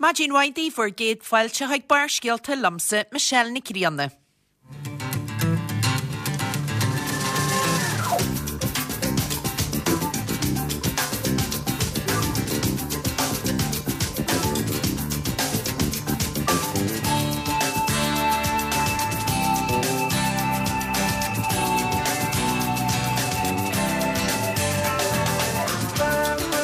Maidin mhaith daoibh, bhur gcéad fáilte chuig Barrscéalta liomsa, Michelle Nic Grianna.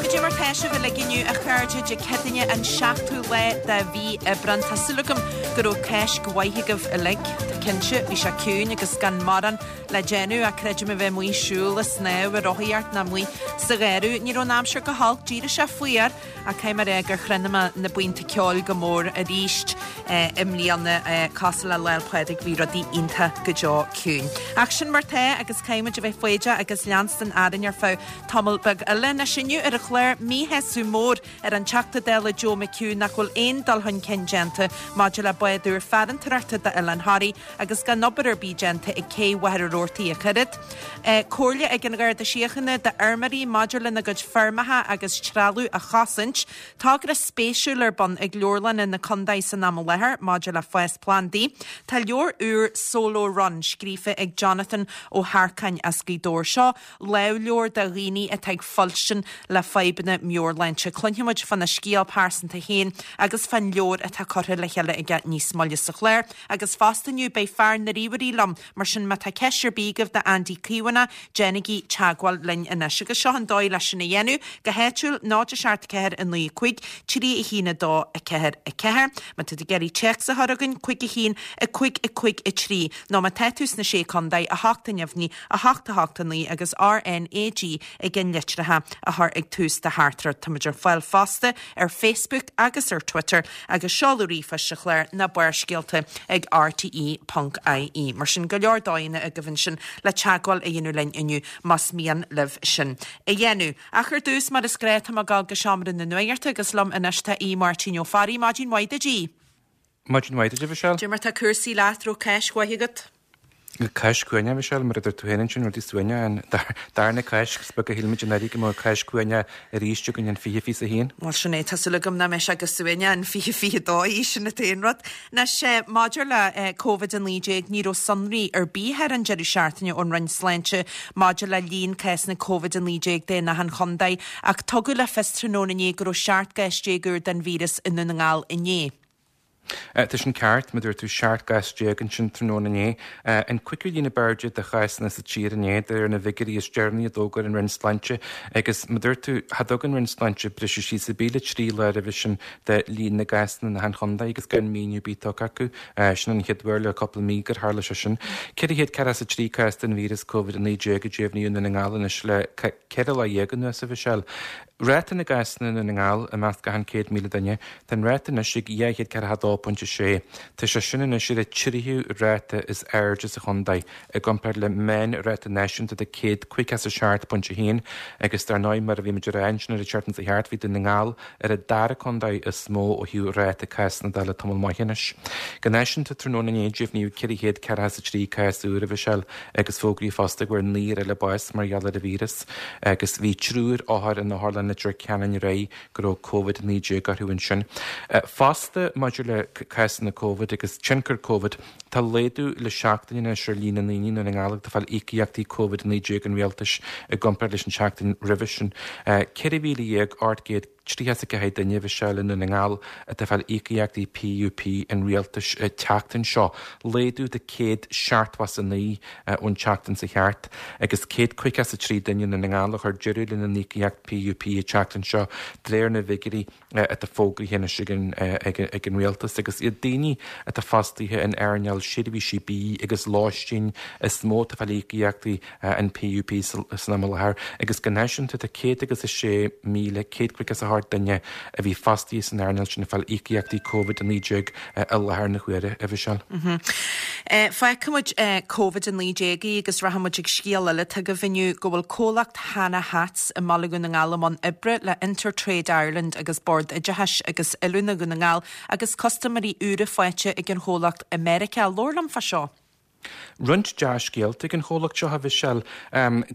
Goidé mar tá sibh uilig inniu a chairde Dé Céadaoine an 7ú lá de mhí Aibreán. Tá súil agam go raibh Cáisc mhaith agaibh uilig. Tá cinnte, bhí sé ciúin agus gan mórán le déanamh ach creidim a bheith amuigh ag siúl, ag snámh, ag rothaíocht nó amuigh sa gharradh. Ní raibh an aimsir go holc, d'éirigh sé fuar ach caithfidh mé a rá gur chronaigh mé na buíonta ceoil go mór arís i mbliana. Cosúil le Lá 'le Pádraig bhí rudaí iontach go deo ciúin. Ach sin mar tá agus caithfidh muid a bheith foighdeach agus leanstan orainn ar feadh tamall beag eile. Anois inniu ar an chlár, míshásamh mór ar an Teachta Dála Joe McHugh nach bhfuil aon dul chun cinn déanta maidir le bád úr farantóireachta d'Oileán Thoraí agus gan obair ar bith déanta ag cé Mhachaire Rabhartaigh ach oiread. Comhairle ag an Gharda Síochána d'fheirmeoirí maidir lena gcuid feirmeacha agus trealamh a chosaint. Togra spéisiúil ar bun ag leabharlanna na contae san am i láthair maidir le fás plandaí. Tá leabhar úr Solo Run scríofa ag Jonathan Ó hEarcáin as Gaoth Dobhair. Seo lámhleabhar do dhaoine atá ag fuilstin le fadhbanna meabhairshláinte. Cluinfidh muid fána scéal pearsanta féin agus fán leabhar atá curtha le chéile aige níos moille sa chlár. Agus fosta inniu beidh fear na ríomhairí liom, mar sin má tá ceist ar bith agaibh d'Andy Caomhánach, déanaigí teagmháil linn anois. Agus seo an dóigh leis sin a dhéanamh, go háitiúil, 0 7 4 9 5 3 1 2 4 4. Má tá tú ag iarraidh téacs a chur chugainn, 5 1 5 5 3. Nó má tá tú sna Sé Contae, 8 neamhní, 8 8 9 agus RNAG ag an litreacha a chur ag tús do theachtaireacht. Táimid ar fáil fosta ar Facebook agus ar Twitter agus seoladh ríomhphoist an chláir ná Barrscéalta ag rte ponc ie. Mar sin, go leor dóigheanna agaibh ansin le teagmháil a dhéanamh linn inniu más mian libh sin a dhéanamh. Ach ar dtús, mar is gnáth, tá mé ag dul go seomra na nuachta agus liom anois tá Aodh Máirtín Ó Fearraigh. Maidin mhaith duit, Aodh. Maidin mhaith duit, a Mhichelle. Cad é mar tá cúrsaí leat, raibh Cáisc mhaith agat? Cáisc shuaimhneach, a Mhichelle, mar a dúirt tú féin ansin, rudaí suaimhneach, an darna Cáisc, is beag a shíl muid anuraidh go mbeadh Cáisc shuaimhneach arís againn in 2021. Bhuel, sin é, tá súil agam nach mbeidh sé go suaimhneach in 2022, sin an t-aon rud. Anois, maidir le Covid-19, ní raibh sonraí ar bith ar an deireadh seachtaine ón Roinn Sláinte maidir le líon cásanna Covid-19 de in achan chontae, Ach tugadh le fios tráthnóna inné go raibh 17 gcás úr den víreas i nDún na nGall inné. Tá sin ceart, mar a dúirt tú, 17 gcás ansin tráthnóna inné. An cúigiú líon ab airde de chásanna sa tír inné, de réir na bhfigiúirí is deireanaí a d'fhógair an Roinn Sláinte. Agus mar a dúirt tú, cha dtug an Roinn Sláinte briseadh síos ar bith le 3 lá roimhe sin de líon na gcásanna in achan chontae agus gan míniú ar bith tugtha acu. Sin an chéad uair le cúpla mí gur tharla sé sin. 443 cás den víreas Covid-19 a deimhníodh i nDún na nGall anois le 14 lá anuas, a Mhichelle. Ráta na gcásanna i nDún na nGall i measc achan 100,000 duine, tá an ráta anois ag 242.6. Tá sé sin anois ar an tríú ráta is airde sa chontae, i gcomparáid le meánráta náisiúnta de 157.1 agus dar ndóigh mar a bhí muid a rá ansin ar an tseachtain seo thart, bhí Dún na nGall ar an dara contae is mó ó thaobh ráta cásanna de le tamall maith anois. Go náisiúnta tráthnóna inné deimhníodh 443 cás úr, a Mhichelle, agus fógraíodh fosta go bhfuair naonúr eile bás mar gheall ar an víreas agus bhí triúr othar in Otharlann Leitir Ceanainn aréir go raibh Covid-19 orthu ansin. Fosta maidir le cásanna Covid agus tionchar Covid, tá laghdú le seachtain anois ar líon na ndaoine i nDún na nGall atá ag fáil íocaíochtaí Covid-19 an rialtais i gcomparáid leis an tseachtain roimhe sin. 14,800 34 duine, a Mhichelle, i nDún na nGall atá ag fáil íocaíochtaí PUP an rialtais an tseachtain seo, laghdú de 179 ón tseachtain seo thart, agus 153 duine i nDún na nGall a chuir deireadh lena n-íocaíocht PUP an tseachtain seo, de réir na bhfigiúirí atá fógraithe anois ag an rialtas. Agus iad daoine atá fostaithe in earnáil seirbhísí bídh agus lóistín is mó atá ag fáil íocaíochtaí an PUP san am i láthair agus go náisiúnta tá 106,158 duine a bhí fostaithe san earnáil sin ag fáil íocaíochtaí Covid-19 i láthair na huaire, a Mhichelle. Fágfaidh muid Covid-19 agus rachaidh muid ag scéal eile atá agaibh inniu go bhfuil comhlacht Hanna Hats i mBaile Dhún na nGall i mbun oibre le InterTrade Ireland agus Bord Oideachais agus Oiliúna Dhún na nGall agus custaiméirí úra faighte ag an chomhlacht i Meiriceá. Labhair liom fá seo. Roinnt dea-scéalta ag an chomhlacht seo, a Mhichelle.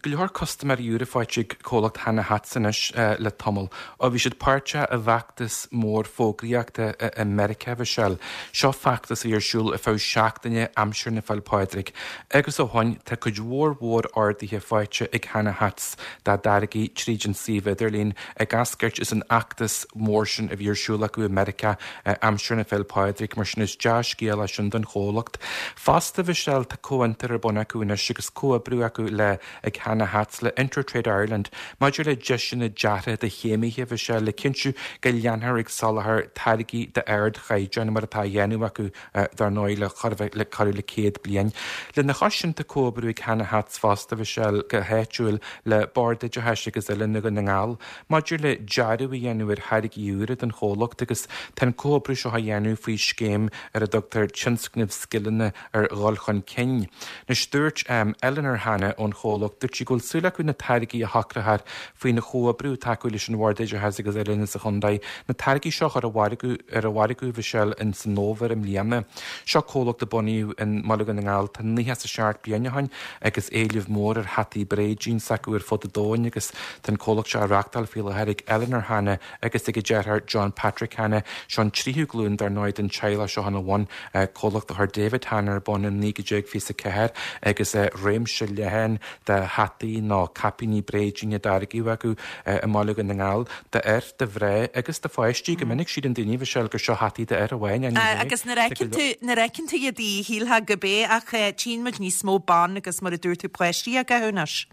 Go leor custaiméirí úra faighte ag comhlacht Hanna Hats anois le tamall. Ó bhí siad páirteach i bhfeachtas mór fógraíochta i Meiriceá, a Mhichelle. Seo feachtas a bhí ar siúl ar feadh seachtaine aimsir na Féil Pádraig. Agus ó shoin tá cuid mhór mhór orduithe faighte ag Hanna Hats dá dtáirgí tríd an suíomh idirlín ag eascairt as an fheachtas mór sin a bhí ar siúl acu i Meiriceá aimsir na Féil Pádraig, mar sin is dea-scéal é sin don chomhlacht. Fosta, a Mhichelle, tá comhfhiontar ar bun acu anois agus comhoibriú acu le ag Hanna Hats le InterTrade Ireland maidir le deiseanna deartha do chéimithe, a Mhichelle, le cinntiú go leanfar ag soláthar táirgí d'ardchaighdeán mar atá á dhéanamh acu dar ndóigh, le chor le corradh le 100 bliain. Lena chois sin, tá comhoibriú ag Hanna Hats fosta, a Mhichelle, go háitiúil le Bord Oideachais agus Oiliúna Dhún na nGall maidir le dearadh a dhéanamh ar tháirgí úra don chomhlacht agus tá an comhoibriú seo á dhéanamh faoi scéim ar a dtugtar Tionscnamh Scileanna ar Dhul Chun Cinn. Anois, dúirt Eleanor Hanna ón chomhlacht, dúirt sí go bhfuil súil acu na táirgí a shocrófar faoin chomhoibriú atá acu leis an Bhord Oideachais agus Oiliúna sa chontae, na táirgí seo a chur ar an mhargadh, a Mhichelle, in san fhómhar i mbliana. Seo comhlacht a bunaíodh i mBaile Dhún na nGall tá 97 bliain ó shin agus éileamh mór ar hataí bréidín s'acu ar fud an domhain agus tá an comhlacht seo á reachtáil faoi láthair ag Eleanor Hanna agus ag a deartháir John Patrick Hanna. Seo an tríú glúin dar ndóigh den teaghlach seo ina bhun, comhlacht a chuir David Hanna ar bun in 1924 agus réimse leathan de hataí nó caipíní bréidín á dtáirgeadh acu i mBaile Dhún na nGall, d'fhir, do mhná agus do pháistí. Go minic síleann daoine, a Mhichelle, gur seo hataí d'fhir amháin, ní hea. Agus nuair a fheiceann tú, nuair a fheiceann tú iad, shílfeá gurb é, ach tchíonn muid níos mó ban agus mar a dúirt tú páistí á gcaitheamh anois.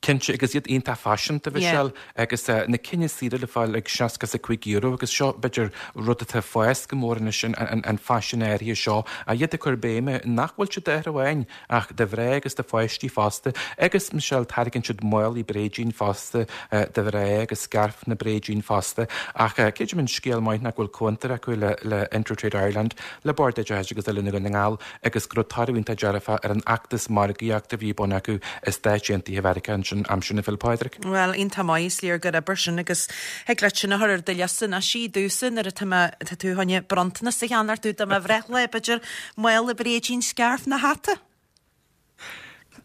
Cinnte, agus iad iontach faiseanta, a Mhichelle, agus na cinn is saoire le fáil ag €65 agus seo, b'fhéidir, rud atá ag fás go mór anois, an faisean áirithe seo, iad ag cur béime nach bhfuil siad d'fhir amháin ach do mhná agus do pháistí fosta. Agus, Michelle, táirgeann siad málaí bréidín fosta do mhná agus scairfeanna bréidín fosta. Ach creidim an scéal maith ná go bhfuil comhfhiontar acu le InterTrade Ireland, le Bord Oideachais agus Oiliúna Dhún na nGall, agus go raibh toradh iontach dearfach ar an fheachtas margaíochta a bhí ar bun acu i Stáit Aontaithe Mheiriceá ansin aimsir na Féile Pádraig. Bhuel, iontach maith, is léir gur oibir sin agus thig leat sin a chur ar do liosta anois í domhsa nuair atá mé, tá tú chun bronntanas a cheannacht domh do mo bhreithlá, b'fhéidir mála bréidín, scairf nó hata.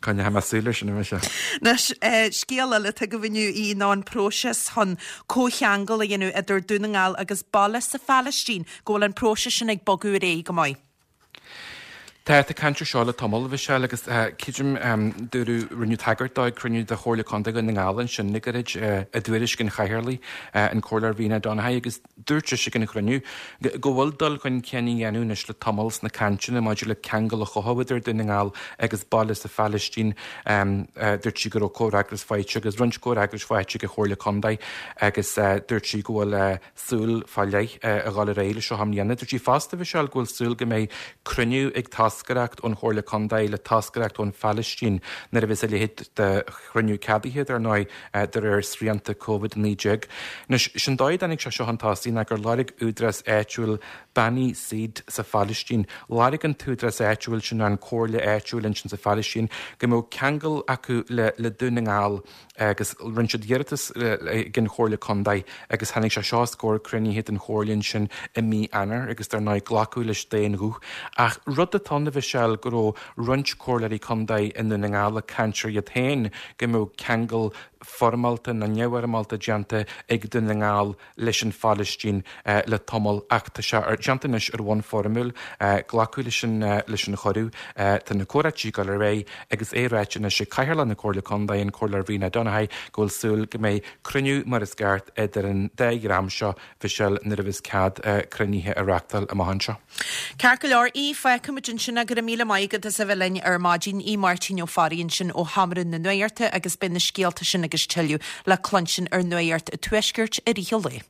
Coinneoidh mé súil air sin, a Mhichelle. Anois, scéal eile atá agaibh inniu í ná an próiseas chun comhcheangal a dhéanamh idir Dún na nGall agus baile sa Phalaistín, go bhfuil an próiseas sin ag bogadh ar aghaidh go maith. Tá, tá caint air seo le tamall, a Mhichelle, agus creidim, dúradh, rinneadh tagairt dó ag cruinniú de Chomhairle Contae Dhún na nGall ansin le gairid, i dtuairisc an Chathaoirligh, an Comhairleoir Ríona Donaghy, agus dúirt sise ag an chruinniú go bhfuil dul chun cinn á dhéanamh anois le tamall sna cainteanna maidir le ceangal a chothú idir Dún na nGall agus baile sa Phalaistín. Dúirt sí go raibh comhfhreagras faighte agus roinnt comhfhreagrais faighte ag an Chomhairle Contae agus dúirt sí go bhfuil súil fá leith a dhul ar aghaidh leis seo i mbliana. Dúirt sí fosta, a Mhichelle, go bhfuil súil go mbeidh cruinniú ag toscaireacht ón Chomhairle Contae le toscaireacht ón Phalaistín nuair a bheas a leithéid de chruinniú ceadaithe, dar ndóigh, de réir srianta Covid-19. Anois, sin dóigh a dtáinig sé seo chun tosaigh ná gur lorg údarás áitiúil Bani Said sa Phalaistín, lorg an t-údarás áitiúil sin, an comhairle áitiúil ansin sa Phalaistín, go mbeadh ceangal acu le Dún na nGall. agus rinne siad iarratas ag an Chomhairle Contae agus tháinig sé seo os comhair cruinnithe den Chomhairle ansin i mí Eanáir agus dar ndóigh glacadh leis d'aon ghuth. Ach rud atá ann a Mhichelle go raibh roinnt Comhairleoirí Contae i nDún na nGall ag caint ar iad féin go mbeadh ceangal foirmeálta nó neamhfhoirmeálta déanta ag Dún na nGall leis an Phalaistín le tamall ach tá sé déanta anois ar bhonn foirmiúil. Glacadh leis an leis an chuireadh. Tá na comhráití ag dul ar aghaidh agus é ráite anois ag Cathaoirleach na Comhairle Contae, an Comhairleoir Ríona Donaghy, go bhfuil súil go mbeidh cruinniú mar is ceart idir an dá dhream seo, Mhichelle, nuair a bheas cead cruinnithe a reachtáil amach anseo. Ceart go leor, Aodh, fágfaimid ansin é. Go raibh míle maith agat as a bheith linn ar maidin. Aodh Máirtín Ó Fearraigh ansin ó Sheomra na Nuachta agus beidh na scéalta sin agus tuilleadh le cluinstin ar Nuacht an Tuaiscirt i rith an lae.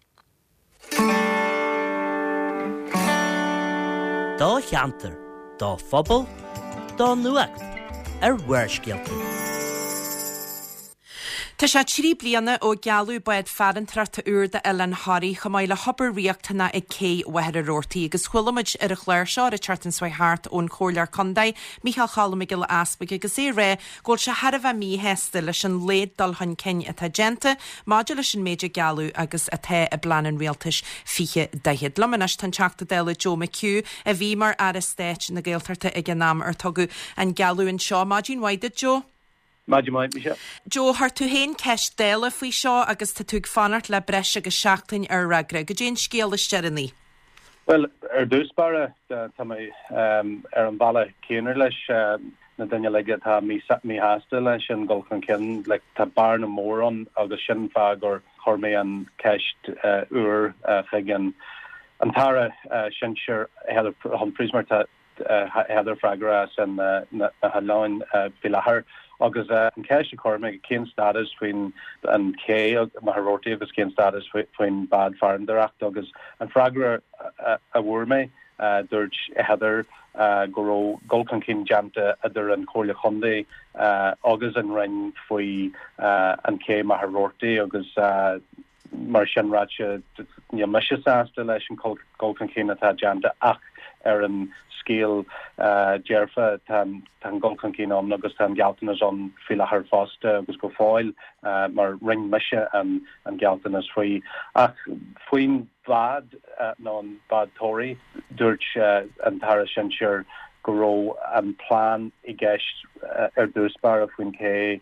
Do cheantar, do phobal, do nuacht ar Bharrscéalta. Tá sé 3 bliana ó gealladh bád farantóireachta úr d'Oileán Thoraí, chomh maith le hobair riachtanach ag Cé Mhachaire Rabhartaigh agus chuala muid ar an chlár seo ar an tseachtain seo chuaigh thart ón Chomhairleoir Contae, Micheál Cholm Mac Giolla Easbuig agus é ag rá go bhfuil sé thar a bheith míshásta leis an laghad dul chun cinn atá déanta maidir leis an méid a gealladh agus atá i bplean an Rialtais 2040. Liom anois tá an Teachta Dála Joe McHugh a bhí mar Aire Stáit na Gaeltachta ag an am ar tugadh an gealladh seo. Maidin mhaith duit Joe. Maidin mhaith, Michelle. Joe, chuir tú féin ceist Dála faoi seo agus tá tú ag fanacht le breis agus seachtain ar fhreagra. Goidé an scéal is deireanaí? Bhuel, ar dtús báire, tá mé ar an bhealach céanna leis na daoine uilig atá míshásta leis an gcul chun cinn. Like, tá bearna mór ann agus sin an fáth gur chuir mé an ceist úr chuig an tAire Sinsir Heather Humphreys mar tá Heather freagrach as na hoileáin faoi láthair. Agus an cheist a chuir mé, cén stádas faoin an ché Machaire Rabhartaigh agus cén stádas faoin bád farantóireachta? Agus an freagra a fuair mé, dúirt Heather go raibh dul chun cinn déanta idir an Chomhairle Chontae agus an Roinn faoi an ché Machaire Rabhartaigh agus Mar sin ráite, níl mise sásta leis an dul chun cinn atá déanta ach ar an scéal dearfa, tá an dul chun cinn ann agus tá an gealltanas ann faoi láthair fosta agus go fóill mar rinne mise an gealltanas faoi. Ach faoin bhád nó an bád Toraí, dúirt an tAire Sinsir go raibh an plean i gceist ar dtús báire faoin ché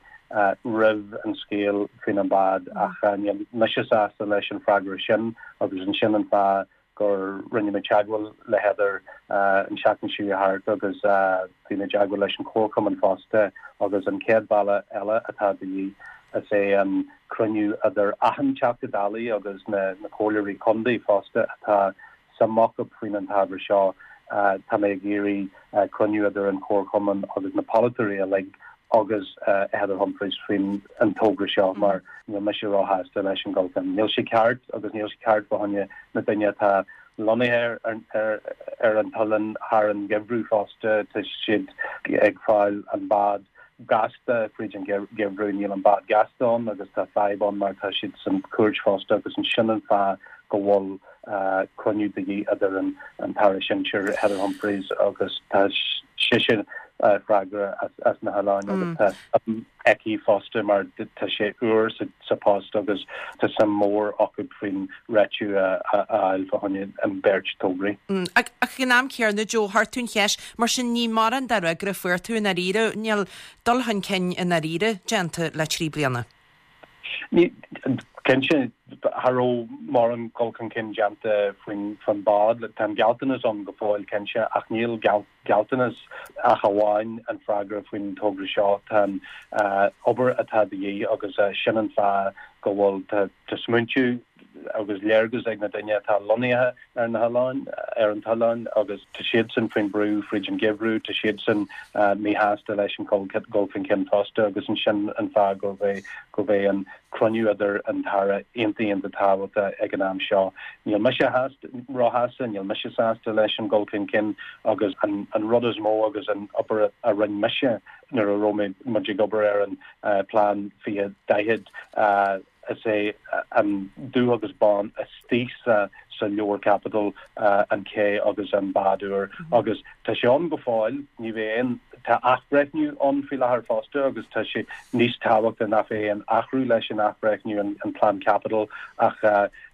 roimh an scéal faoin an bád ach níl mise sásta leis an freagra sin agus ansin an fáth gur rinne mé teagmháil le Heather an seachtain seo thart agus bhí mé i dteagmháil leis an Chomharchumann fosta agus an chéad bealach eile atá de dhíth is é an cruinniú idir achan Teachta Dála agus na Comhairleoirí Contae fosta atá suim acu faoin an t-ábhar seo. Tá mé ag iarraidh cruinniú idir an Chomharchumann agus na polaiteoirí uilig agus Heather Humphreys faoin an togra seo mar níl mise róshásta leis an gcul chun. Níl sé ceart agus níl sé ceart fá choinne na daoine atá lonnaithe ar ar an t-oileán thar an gheimhreadh fosta. Tá siad ag fáil an bád gasta fríd an gheimhreadh. Níl an bád gasta ann agus tá fadhb ann mar tá siad san cúirt fosta agus sin an fáth go bhfuil cruinniú de dhíth idir an tAire Sinsir Heather Humphreys agus tá sise freagrach as na hoileáin agus tá suim aici fosta mar tá sé úr sa post agus tá suim mór acu faoin réitiú a fháil fá choinne an beirt tograí. Ach ag an am céanna, Joe, chuir tú an cheist, mar sin ní mórán de fhreagra a fuair tú i ndáiríre, níl dul chun cinn i ndáiríre déanta le 3 bliana. Cinnte, cha raibh mórán dul chun cinn déanta faoin bhád. Tá an gealltanas ann go fóill, cinnte, ach níl gealltanas ach amháin an freagra faoin togra seo. Tá an obair atá de dhíth agus sin an fáth go bhfuil tá smaointiú agus léargas ag na daoine atá lonnaithe ar na hoileáin, ar an t-oileán agus tá siadsan faoin brú fríd an gheimhreadh, tá siadsan míshásta leis an dul chun cinn fosta agus ansin an fáth gurb é gurb é an cruinniú idir an tAire iontach iontach tábhachtach ag an am seo. Níl mise róshásta, níl mise sásta leis an dul chun cinn agus an rud is mó agus an obair a rinne mise nuair a raibh mé muid ag obair ar an plean 2040, Is é an dubh agus bán istigh sa sa leabhar caipitil an ché agus an bád úr agus tá sé ann go fóill, ní bheidh aon, tá athbhreithniú ann faoi láthair fosta agus tá sé níos tábhachtaí nach bheidh aon athrú leis an athbhreithniú an plean caipitil ach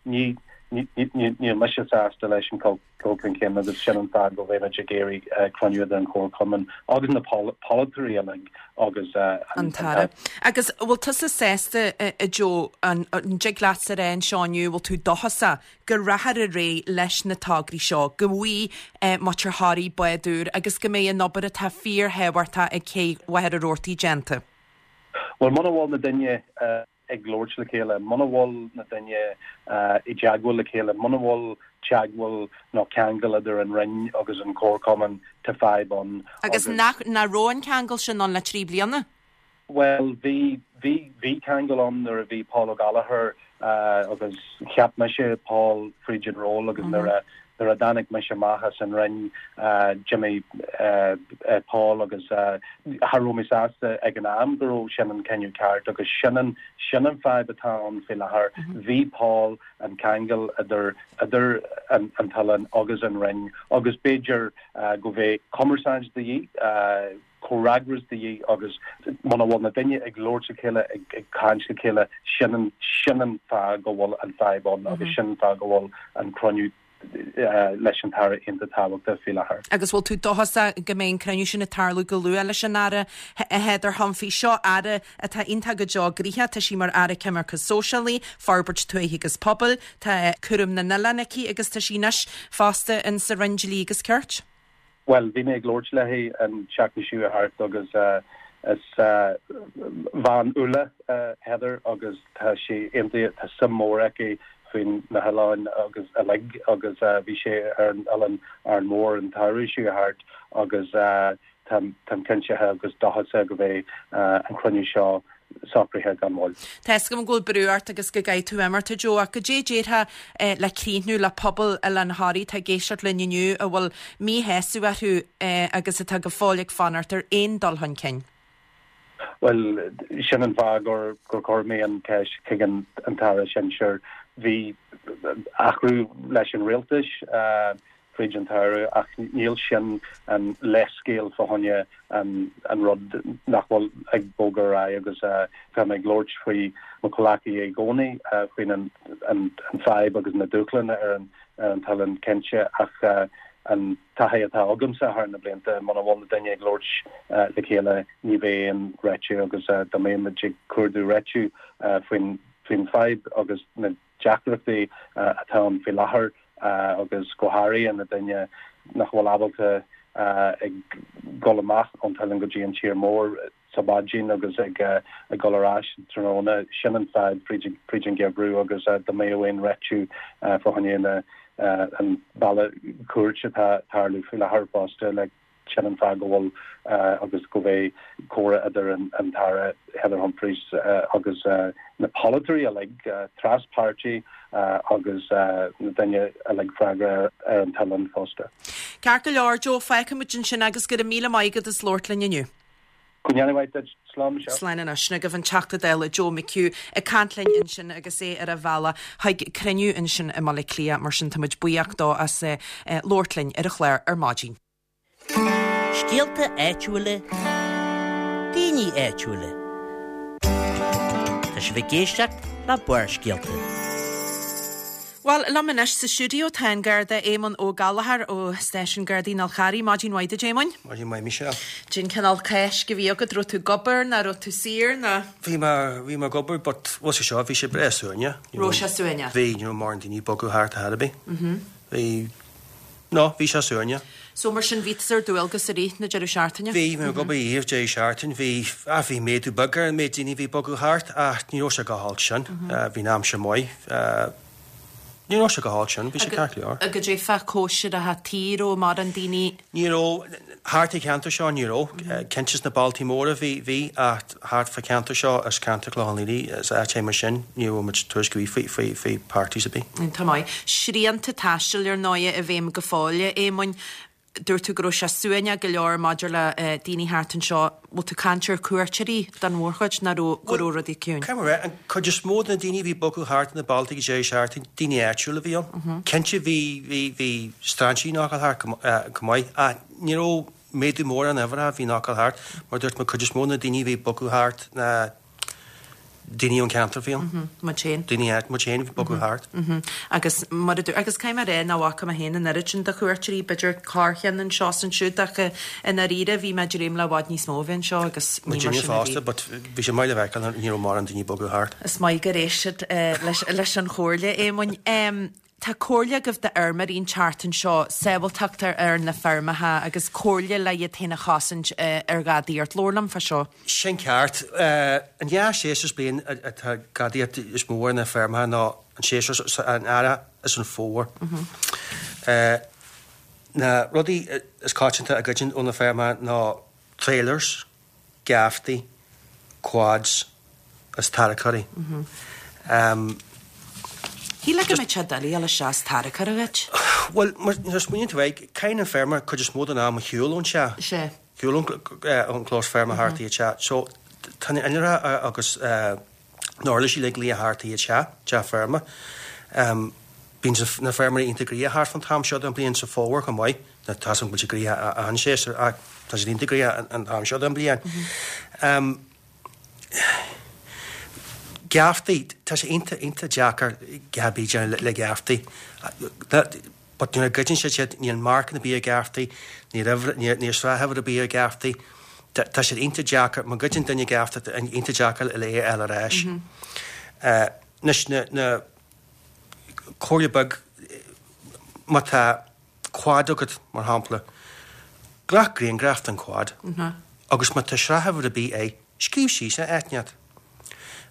ní níl mise sásta leis an dul chun cinn agus sin an fáth go bhfuilimid ag iarraidh cruinniú idir an Chomharchumann agus na polaiteoirí uilig agus an tAire. Agus bhfuil tusa sásta, a Joe, an dtig leatsa a rá anseo inniu, bhfuil tú dóchasach go rachfar ar aghaidh leis na tograí seo, go bhfaighidh muintir Thoraí bád úr agus go mbeidh an obair atá fíorthábhachtach ag Cé Mhachaire Rabhartaigh déanta? Bhuel, muna bhfuil na daoine ag labhairt le chéile, muna bhfuil na daoine i dteagmháil le chéile, muna bhfuil teagmháil nó ceangal idir an Roinn agus an Comharchumann, tá fadhb ann. Agus nach raibh an ceangal sin ann le 3 bliana? Bhuel, bhí, bhí, bhí ceangal ann nuair a bhí Paul Ó Gallchóir agus cheap mise Paul fríd an ról agus nuair a. Nuair a dtáinig mise amach as an Roinn d'imigh Paul agus cha raibh mé sásta ag an am go raibh sin an cinneadh ceart agus sin an sin an fadhb atá ann faoi láthair. Bhí Paul an ceangal idir idir an an t-oileán agus an Roinn agus b'fhéidir go bheadh cumarsáid de dhíth, comhfhreagras de dhíth agus muna bhfuil na daoine ag labhairt le chéile, ag caint le chéile, sin an, sin an fáth go bhfuil an fadhb ann agus sin an fáth go bhfuil an cruinniú leis an tAire iontach tábhachtach faoi láthair. Agus bhfuil tú dóchasach go mbeidh an cruinniú sin ag tarlú go luath leis an Aire Heather Humphreys? Seo Aire atá iontach go deo gnoitheach, tá sí mar Aire Coimirce Sóisialaí, Forbairt Tuaithe agus Pobail, tá cúram na n-oileán aici agus tá sí anois fosta in sa Roinn Dlí agus Cirt. Bhuel, bhí mé ag labhairt léi an tseachtain seo thart agus is bean umhal Heather agus tá sí iontach, tá suim mór aici faoin na hoileáin agus uilig agus bhí sí ar an oileán Árainn Mhór an tsamhradh seo thart agus táim cinnte agus dóchasach go mbeidh an cruinniú seo socraithe gan mhoill. Tá fhios agam go bhfuil brú ort agus go gcaithfidh tú imeacht, a Joe, ach goidé a déarfá le críochnú le pobal Oileán Thoraí atá ag éisteacht linn inniu a bhfuil míshásamh orthu agus atá go fóill ag fanacht ar aon dul chun cinn? Bhuel, sin an fáth gur chuir mé an cheist chuig an tAire Sinsear. Bhí athrú leis an rialtas fríd an tsamhradh ach níl sin an leithscéal fá choinne an rud nach bhfuil ag bogadh ar aghaidh agus tá mé ag labhairt faoi mo chomhleacaithe i gcónaí faoin an fadhb agus na dúshláin ar an t-oileán cinnte ach an taithí atá agamsa thar na blianta, muna bhfuil na daoine ag labhairt le chéile ní bheidh aon réitiú agus dá mbeadh muid ag cuardú réitiú faoin fadhb agus na deacrachtaí atá ann faoi láthair agus go háirithe na daoine nach bhfuil ábalta ag dul amach ón t-oileán go dtí an tír mór sa mhaidin agus ag dul ar ais tráthnóna. Sin an fadhb fríd an gheimhreadh agus dá mbeadh aon réitiú fá choinne an bealach cúirt atá ag tarlú faoi láthair fosta like sin an fáth go bhfuil agus go mbeidh comhrá idir an tAire Heather Humphreys agus na polaiteoirí uilig, tras-pháirtí agus na daoine uilig freagrach ar an t-oileán fosta. Ceart go leor, Joe, fágfaidh muid ansin agus go raibh míle maith agat as labhairt linn inniu. Go ndéana mhaith duit. Slán Michelle. Slán anois. Sin agaibh an Teachta Dála Joe McHugh ag caint linn ansin agus é ar a bhealach chuig cruinniú ansin i mBaile Átha Cliath. Mar sin tá muid buíoch dó as labhairt linn ar an chlár ar maidin. Scéalta áitiúla, daoine áitiúla. Tá sibh ag éisteacht le Barrscéalta. Bhuel, liom anois sa stiúideo tá an Garda Éamonn Ó Gallchóir ó Stáisiún Gardaí an Fháil Charraigh. Maidin mhaith duit, Éamoinn. Maidin mhaith, Michelle. Cén cineál Cáisc a bhí agat, raibh tú ag obair nó raibh tú saor nó? Bhí mé, bhí mé ag obair but bhfuil sé seo, bhí sé breá suaimhneach. Raibh sé suaimhneach? Bhí, ní raibh mórán daoine ag bogadh thart ar chor ar bith. Bhí, no, bhí sé suaimhneach. So mar sin bhí tusa ar dualgas i rith na deireadh seachtaine? Bhí, bhí mé ag obair i rith deireadh seachtaine, bhí, ah bhí méadú beag ar an méid daoine a bhí ag bogadh thart ach ní raibh sé chomh holc sin, bhí an aimsir maith, ní raibh sé chomh holc sin, bhí sé ceart go leor. Agus goidé fá cóisireacha tí, raibh mórán daoine? Ní raibh, thart an cheantar seo ní raibh, cinnte sna bailtí móra bhí, bhí ach thart fá cheantar seo is ceantar Chlochán Liath is áit mar sin ní raibh muid tuairisc ar bith faoi, faoi, faoi parties ar bith. Tá maith. Srianta taistil ar ndóighe i bhfeidhm go fóill, a Éamoinn. Dúirt tú go raibh sé suaimhneach go leor maidir le daoine thart anseo. Bhfuil tú ag caint ar cuairteoirí don mhórchuid nó raibh, go raibh rudaí ciúin? Caithfidh mé a rá, an cuid is mó de na daoine a bhí ag bogadh thart na bailtí ag deireadh seachtaine, daoine áitiúla a bhí ann. Cinnte bhí, bhí, bhí strainséirí ag gabháil thart go maith ach ní raibh méadú mór ar an uimhir a bhí ag gabháil thart. Mar a dúirt mé, cuid is mó de na daoine a bhí ag bogadh thart ná daoine ón ceantar a bhí ann. Muid féin. Daoine áit, muid féin a bhí ag bogadh thart. Agus mar a dúirt, agus caithfidh mé a rá nach bhfaca mé féin an oiread sin de chuairteoirí, b'fhéidir corrcheann anseo is ansiúd ach i ndáiríre bhí mé ag dréim le i bhfad níos mó a bheith anseo agus ní mar Muidinne sin a bhí. fosta but bhí sé maith le feiceáil ní raibh mórán daoine ag bogadh thart. Is maith gur éist siad leis an chomhairle, Éamoinn. Tá comhairle agaibh d'fheirmeoirí an tseachtain seo, sábháilteacht ar na feirmeacha agus comhairle le iad féin a chosaint ar ghadaíocht. Labhair liom fá seo. Sin ceart. An dá séasúr sa bliain atá gadaíocht is mó ar na feirmeacha ná an séasúr an earrach is an fómhar. Na rudaí is coitianta a ghoideann ó na feirmeacha ná trailers, geaftaí, quads is tarracóirí. Shílfeá go mbeadh sé doiligh a dhul isteach is tarracóir a ghoid. Bhuel, nuair a smaoiníonn tú air, caitheann an feirmeoir cuid is mó den am ar shiúl ón teach. Sea. Shiúl ón gclós feirme thart chuig an teach. So, tá na innealra agus na huirlisí uilig luithe thart chuig an teach, teach feirme. Bíonn na feirmeoirí iontach gnoitheach thart fán t-am seo den bhliain sa fómhar chomh maith. Tá 's agam go bhfuil siad gnoitheach achan séasúr ach tá siad iontach gnoitheach an t-am seo den bhliain. Geaftaí, tá sé iontach, iontach deacair a dhath ar bith a dhéanamh le geaftaí. But nuair a ghoideann siad iad, níl marcanna ar bith ar gheaftaí, níl uimhir, níl, níl sraithuimhir ar bith ar gheaftaí. Tá, tá siad iontach deacair, má ghoideann duine geafta, tá iontach deacair le é a fháil ar ais. Anois, na, na, comhairle beag, má tá quad agat, mar shampla, glac grianghraf den quad agus má tá sraithuimhir ar bith air, scríobh síos é áit inteacht.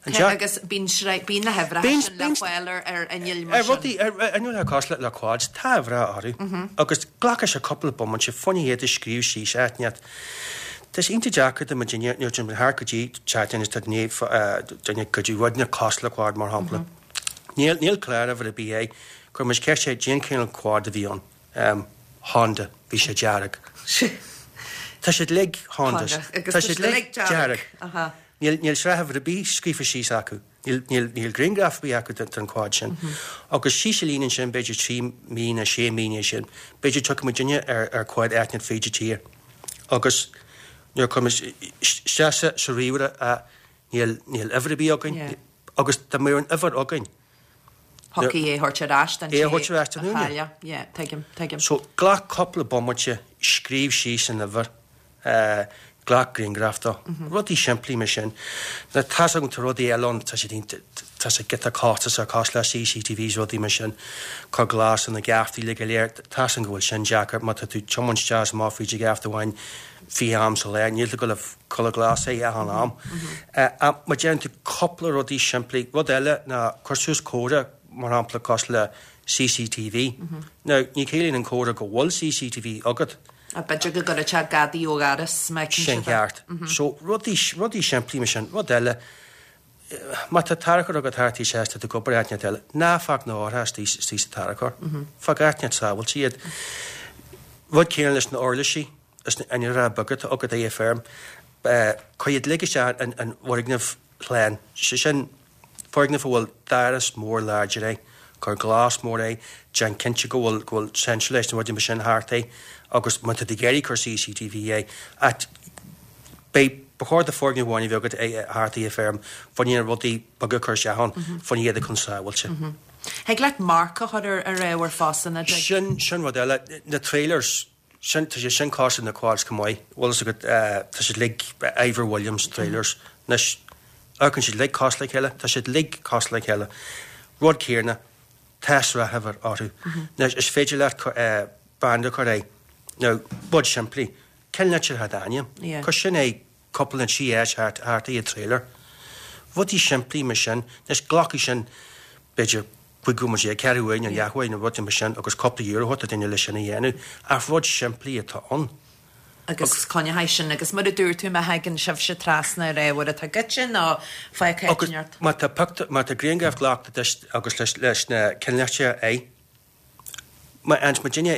An Cé agus bíonn sraith, bíonn na huimhreacha sin le fáil ar ar innill mar sin. Ar rudaí, ar innill cosúil le quads, tá uimhreacha orthu agus glacfaidh sé cúpla bomaite fá choinne iad a scríobh síos áit inteacht. Tá sé iontach deacair do muidinne nuair atá muid thart go dtí teach duine tá duine duine ag goid rud inteacht cosúil le quad mar shampla. Níl, níl cláruimhir ar bith air. Chuir muid ceist air cén cineál quad a bhí ann. Honda, bhí sé dearg. Tá siad uilig Hondas. Tá siad uilig dearg. Níl, níl sraithuimhir ar bith scríofa síos acu. Níl, níl, níl grianghraf ar bith acu den, den quad sin. Agus síos an líne ansin, b'fhéidir 3 mí nó 6 mí ina dhiaidh sin, b'fhéidir tiocfaidh muidinne ar, ar quad áit inteacht fríd an tír. Agus nuair a chuir muid isteach sa, sa ríomhaire, níl, níl uimhir ar bith againn. Agus dá mbeadh an uimhir againn, Thiocfadh é a thabhairt ar ais don té a thabhairt ar ais don úinéir. a chaill. Yeah, tuigim, tuigim. So, glac cúpla bomaite, scríobh síos an uimhir, glac grianghraf dó. Rudaí simplí mar sin. Now, tá's agam tá rudaí eile ann, tá siad iontach, tá sé giota costasach, cosúil le CCTVs, rudaí mar sin, cur glas ar na geaftaí uilig go léir, tá's agam go bhfuil sin deacair má tá tú ag tiomáint isteach is amach fríd an gheafta amháin 20 am sa lá, níl tú ag dul a chuile glas é achan am. Ach má déanann tú cúpla rudaí simplí, rud eile ná cuir suas comhartha, mar shampla cosúil le CCTV. Now, ní chiallaíonn an comhartha go bhfuil CCTV agat. B'fhéidir go gcuirfeadh sé gadaí ó dhoras, má fheiceann Sin siad é. ceart. So, rudaí, rudaí simplí mar sin. Rud eile, má tá tarracóir agat thart is tá tú ag obair áit inteacht eile, ná fág na árthaí istigh sa tarracóir. Fág áit inteacht sábháilte iad. Rud céanna leis na uirlisí. Is na innealra beaga atá agat ar an bhfeirm, cuir iad uilig isteach in bhfoirgneamh shlán, sé sin, foirgneamh a bhfuil doras mór láidir air, cuir glas mór air, déan cinnte go bhfuil go bhfuil centralised nó rudaí mar sin thart air agus má tá tú ag iarraidh cur CCTV air, ach beidh, ba chóir do foirgneamh amháin a bheith agat thart ar an bhfeirm, fá choinne na rudaí beaga a chur isteach ann, fá choinne iad a chun sábháilte. Thig leat marc a chur ar ar ábhar fosta, nach dtig? Sin, sin rud eile, na trailers, Sin, tá sé sin cosúil na quads chomh maith, bhfuil fhios agat, tá siad uilig Ifor Williams trailers. Anois, amharcann siad uilig cosúil le chéile, tá siad uilig cosúil le chéile. Rud céanna, tá sraithuimhir orthu. Anois, is féidir leat branda a chur air. Now, rud simplí, cén litir atá i d'ainm? Cuir sin air cúpla nó trí áit thart ar an trailer. Rudaí simplí mar sin. Anois, glacfaidh sin, b'fhéidir, 15 bhomaite, ceathrú uair nó leathuair nó rudaí mar sin agus cúpla euro a thabhairt do duine leis sin a dhéanamh. Ach rud simplí atá ann. Agus coinneoidh sin agus mar a dúirt tú má thagann sibhse trasna ar ábhar atá goidte nó fágtha Agus má tá pictiúr, má tá grianghraf glactha duit agus leis leis na ceannlitreacha air, Má fhaigheann muidinne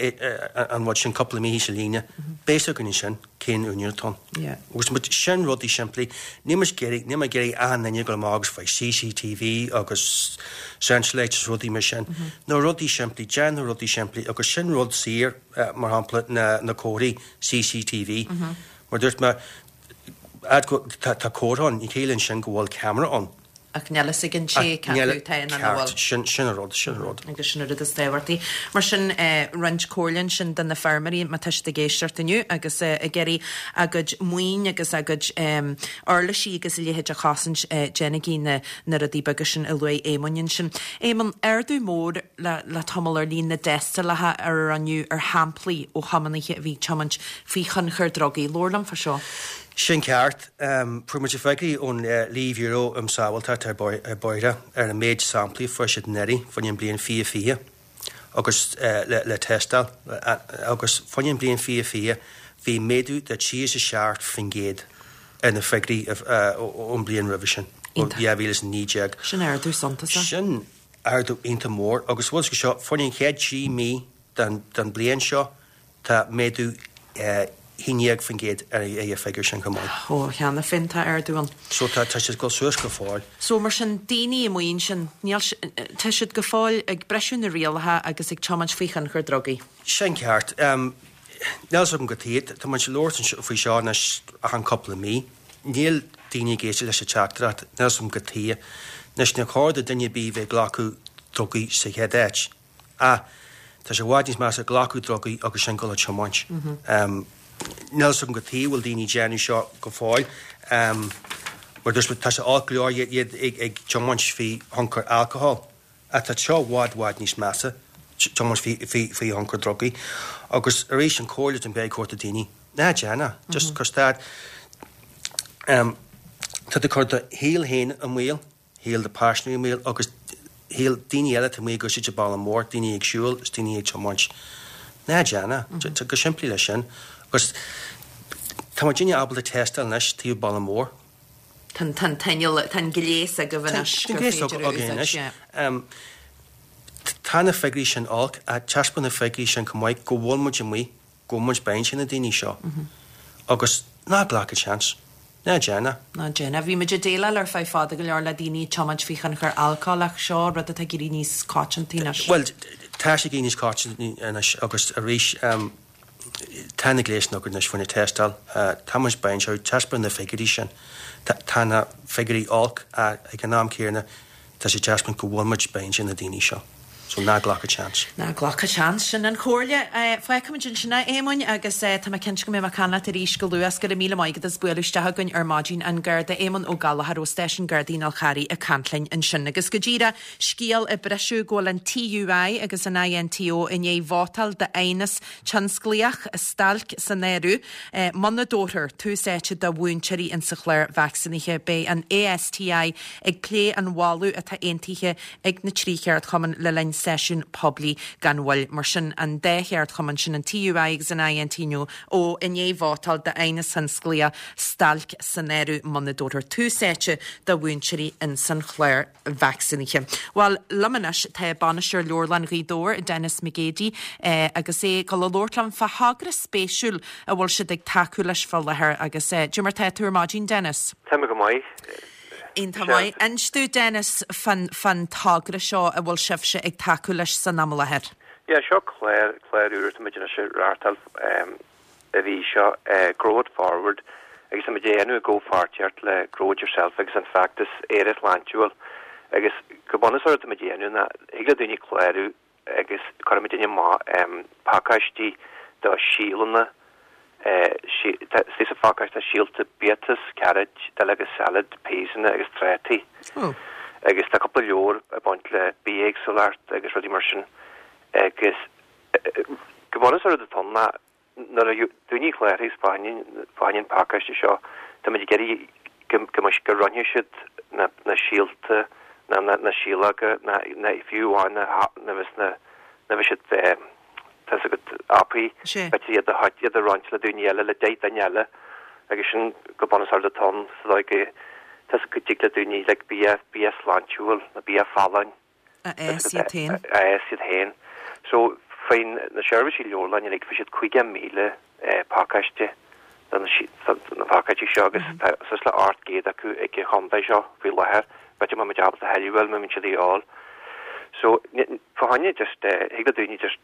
an rud sin cúpla mí sa líne, beidh fhios againn ansin cén úinéir atá ann. Agus muid, sin rudaí simplí. Níl muid ag iarraidh, níl mé ag iarraidh achan duine dul amach agus faigh CCTV agus centralised is rudaí mar sin. Na rudaí simplí, déan na rudaí simplí agus sin rud saor, mar shampla na na comharthaí CCTV. Mar dúirt mé, tá comhartha ann, ní chiallaíonn sin go bhfuil ceamara ann. Ach níl fhios ag an té cé acu atá ann nó nach bhfuil. Ceart, sin an rud, sin an rud. Agus sin an rud is tábhachtaí. Mar sin, roinnt comhairle ansin do na feirmeoirí má tá siad ag éisteacht inniu agus ag iarraidh a gcuid maoin agus a gcuid uirlisí agus a leithéid a chosaint, déanaigí na na rudaí beaga sin a luaigh Éamonn ansin. Éamonn, ardú mór le le tamall ar líon na dtástálacha a rinneadh ar shamplaí ó thiománaithe a bhí ag tiomáint faoi thionchar drugaí. Labhair liom fá seo. Sin ceart. Fuair muid freagraí ón Lia-Bhiúró um Sábháilteacht ar Bhóithre ar an méid samplaí a fuair siad anuraidh fá choinne an bliain 2020 agus le tástáil agus fá choinne an bliain 2020 bhí méadú de 37% ar na freagraí ón bliain roimhe sin, ó 2019. Sin ardú suntasach. Sin. ardú iontach mór agus bhfuil sé seo, fá choinne an chéad 3 mí den den bliain seo, tá méadú 11% ar an figiúr sin chomh maith. Ó, cheana féin tá ardú ann. So tá tá siad ag dul suas go fóill. So mar sin, daoine amuigh ansin, níl, tá siad go fóill ag briseadh na rialacha agus ag tiomáint faoi thionchar drugaí. Sin ceart. Níl a fhios agam cad chuige, tá muid ag labhairt faoi seo anois achan cúpla mí. Níl daoine ag éisteacht leis an teachtaireacht, níl a fhios agam cad chuige. Anois, níor chóir do duine ar bith bheith ag glacadh drugaí sa chéad áit. Ach tá sé i bhfad níos measa glacadh drugaí agus sin dul ag tiomáint. Níl a fhios agam cad chuige a bhfuil daoine ag déanamh seo go fóill. Mar dúirt mé, tá sé olc go leor iad ag tiomáint faoi thionchar alcohol. Ach tá seo i bhfad, bhfad níos measa, tiomáint faoi thionchar drugaí. Agus arís, an comhairle atá mé ag tabhairt do daoine, ná déan é. Just cuir stad. Tá tú ag cur do shaol féin i mbaol, shaol do pháirtnéir i mbaol agus shaol daoine eile atá amuigh ag úsáid an bealach mór, daoine ag siúl is daoine ag tiomáint. Ná déan é. Tá go simplí leis sin. Agus tá muidinne ábalta tástáil anois taobh bealach mór. Tá an t-inneall, tá an gléas agaibh anois gur féidir a úsáid, yeah. Tá na figiúirí sin olc, ach taispeánann na figiúirí sin chomh maith go bhfuil muid amuigh, go bhfuil muid behind na daoine seo. Agus ná glac an seans. Ná déan é. Ná déan é. Bhí muid ag déileáil ar feadh fada go leor le daoine ag tiomáint faoi thionchar alcóil ach seo rud atá ag éirí níos coitianta anois. Bhuel, tá sé ag éirí níos coitianta anois agus arís, Tá na gléasanna againn anois faoina tástáil. Tá muid behind seo, taispeánann na figiúirí sin. Tá na figiúirí olc ach ag an am céanna tá sé ag taispeáint go bhfuil muid behind na daoine seo. So ná glac an seans. Ná glac an seans, sin an chomhairle. Fágfaimid ansin é, a Éamoinn, agus tá mé cinnte go mbeidh mé ag caint leat arís go luath. Go raibh míle maith agat as bualadh isteach chugainn ar maidin. An Garda Éamonn Ó Gallchóir ó Stáisiún Gardaí an Fháil Charraigh ag caint linn ansin. Agus go díreach, scéal ag briseadh go bhfuil an TUI agus an INTO i ndiaidh vótáil d'aighneas tionsclaíoch, stailc san áireamh, muna dtabharfar tús áite do mhúinteoirí insa chlár vacsaínithe. Beidh an ASTI ag plé an mholadh atá aontaithe ag na 3 cheardchumann le linn seisiún poiblí gan mhoill. Mar sin, an dá cheardchumann sin, an TUI agus an INTO, i ndiaidh vótáil d'aighneas tionsclaíoch, stailc san áireamh, muna dtabharfar tús áite do mhúinteoirí insan chlár. vacsaínithe. Bhuel, liom anois tá Bainisteoir Leabharlann Ghaoth Dobhair, Denis McGeady, agus é ag dul a labhairt liom fá thogra spéisiúil a bhfuil siad ag tacú leis fá láthair agus cad é mar tá tú ar maidin, Denis? Tá mé go maith. Iontach maith. Inis domh, Denis, fán fán togra seo a bhfuil sibhse ag tacú leis san am i láthair. Yeah, seo clár, clár úr atá muid anois a reáchtáil. an mhí seo, Grow It Forward, agus tá muid á dhéanamh i gcomhpháirtíocht le Grow It Yourself agus an feachtas Éire Shláintiúil agus go bunúsach rud atá muid a dhéanamh ná thig le daoine clárú agus cuirfidh muidinne amach pacáistí de shíolanna, istigh sa phacáiste tá síolta biatas, carrot, duilleoga salad, peasanna agus trátaí agus tá cúpla leabhar ag baint le bithéagsúlacht agus rudaí mar sin agus Go bunúsach rud atá ann ná nuair a daoine cláraithe fá choinne an pacáiste seo, tá muid ag iarraidh go go go roinnfidh siad na na síolta ná na na síológa ná ná fiú amháin na na bheas na na bheas siad tá 's agat apaí b'fhéidir iad a iad a roinnt le daoine eile le 10 duine eile agus sin go bunúsach rud atá ann sa dóigh go tá 's go dtig le daoine like bia bia sláintiúil nó bia folláin a fhás iad féin. a fhás iad féin. So, faoin na seirbhísí leabharlainne uilig, fuair siad 50,000 pacáiste de na pacáistí seo agus tá suas le 800 acu ag an chontae seo faoi láthair. B'fhéidir má muid ábalta a thuilleadh a fháil, má bhíonn siad a dhíobháil. So, fá choinne just, thig le daoine just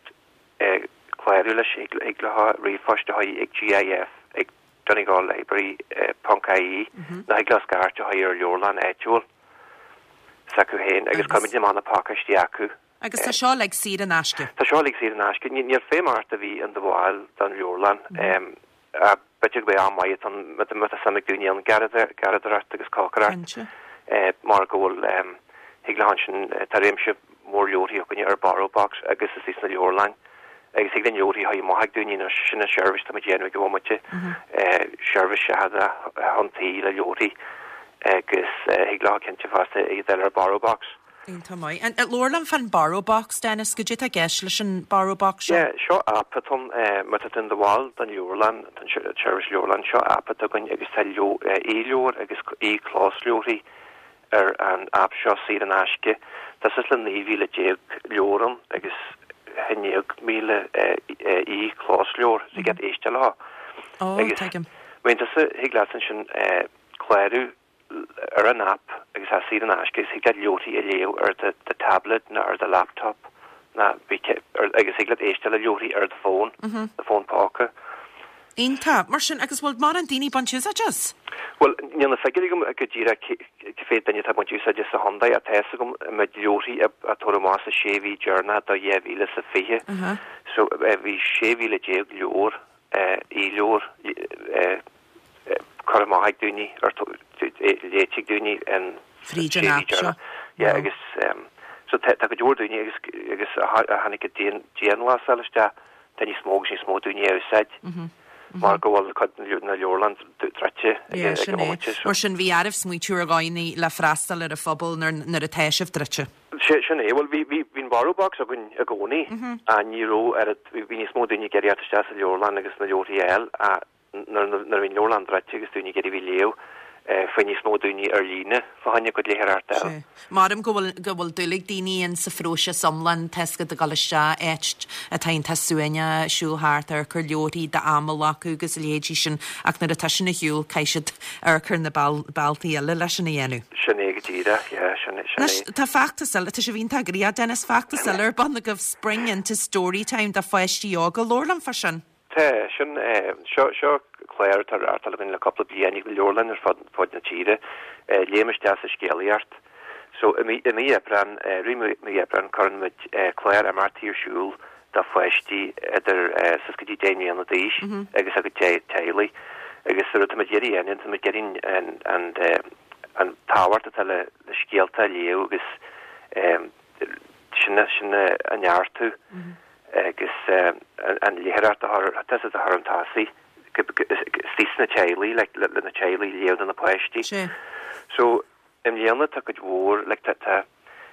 clárú leis, thig leo ríomhphost a chur ag GIF ag donegallibrary ponc ie nó thig leo scairt a chur ar leabharlann áitiúil. s'acu féin agus cuirfimid amach na pacáistí acu. Agus tá seo uilig saor in aisce? Tá seo uilig saor in aisce. Níl feidhm ort a bheith in do bhall den leabharlann. Ach b'fhéidir go mbeidh am maith ann má tá suim ag daoine ann garraíodóireacht agus cócaireacht mar go bhfuil thig leo ansin tá réimse mór leabharthaí againne ar Borrowbox agus istigh sna leabharlainn. Agus thig linn leabharthaí a chur amach ag daoine anois, sin an seirbhís atá muid a dhéanamh ag an bhomaite, seirbhís seachadta chun tí le leabharthaí agus thig leo cinnte fosta iad a fháil ar Borrowbox. Iontach maith. And labhair liom fán Borrowbox, Dennis, goidé atá i gceist leis an Borrowbox seo? Yeah, seo aip atá ann, má tá tú in do bhall den leabharlann, den seirbhís leabharlann, seo aip atá againn agus tá e-leabhair agus e-closleabharthaí. ar an aip seo saor in aisce. Tá suas le 19,000 leabhar ann agus 11,000 e-chlosleabhar so thig leat éisteacht leo. Ó, Agus tuigim. má bhíonn tusa, thig leat ansin clárú ar an aip agus tá saor in aisce agus thig leat leabharthaí a léamh ar do do tablet nó ar do laptop nó agus thig leat éisteacht le leabharthaí ar do fón, do fón póca. Iontach. Mar sin, agus bhfuil mórán daoine ag baint úsáid as? Bhuel, níl na figiúirí agam go díreach cé mhéad duine atá ag baint úsáide sa chontae ach tá fhios agam an méid leabharthaí a tabhairt amach sa sé mhí deireanach de 2020. So, bhí 16,000 leabhar, e-leabhar, curtha amach ag daoine, léite ag daoine in Fríd an aip seo. Yeah, agus so tá go leor daoine agus agus a tháinig an dianghlasáil isteach, tá níos mó agus níos mó daoine á úsáid mar go bhfuil cuid de na leabharlann druidte ag an bhomaite. Mar sin bhí oraibh smaoitiú ar dhóigheanna le freastal ar an phobal nuair atá sibh druidte. Sin é. Bhuel, bhí an Borrow Box againn i gcónaí ach ní raibh oiread, bhí níos mó daoine ag iarraidh theacht isteach sa leabharlann agus na leabharthaí a fháil ach Nuair a bhí an leabharlann druidte agus daoine ag iarraidh a bheith ag léamh, fuair níos mó daoine ar líne fá choinne a gcuid léitheoireachta a fháil. Maram go bhfuil go bhfuil dúil ag daoine in sa phróiseas iomlán, tá a fhios agat ag dul isteach áit atá iontach suaimhneach, siúl thart, amharc ar leabharthaí, d'am a ghlacadh agus a leithéidí sin ach nuair atá sin ar shiúl caithfidh siad amharc ar na bealtaí eile leis sin a dhéanamh. Sin é go díreach, yeah, sin é. Anois tá feachtas eile, tá sibh iontach gnoitheach Dennis, feachtas eile ar bun agaibh, Spring into Storytime do pháistí óga, labhair liom fá sin. Tá, sin, seo, seo clár atá á reáchtáil againn le cúpla bliain ag na leabharlanna ar fud, fud na tíre, Léim isteach sa scéalaíocht. So, i mí, i mí Aibreán, rith mí, mí Aibreán cuireann muid clár imeachtaí ar siúl do pháistí idir suas go dtí 10 mbliana d'aois agus a gcuid teaghlaigh. Agus an rud atá muid ag iarraidh a dhéanamh, tá muid ag iarraidh an, an, an tábhacht atá le, le scéalta a léamh agus sin, sin a neartú agus an léitheoireacht a chur, tá a fhios agat, a chur chun tosaigh istigh sna teaghlaigh, like, le na teaghlaigh léamh do na páistí. So, i mbliana tá cuid mhór, like, tá, tá,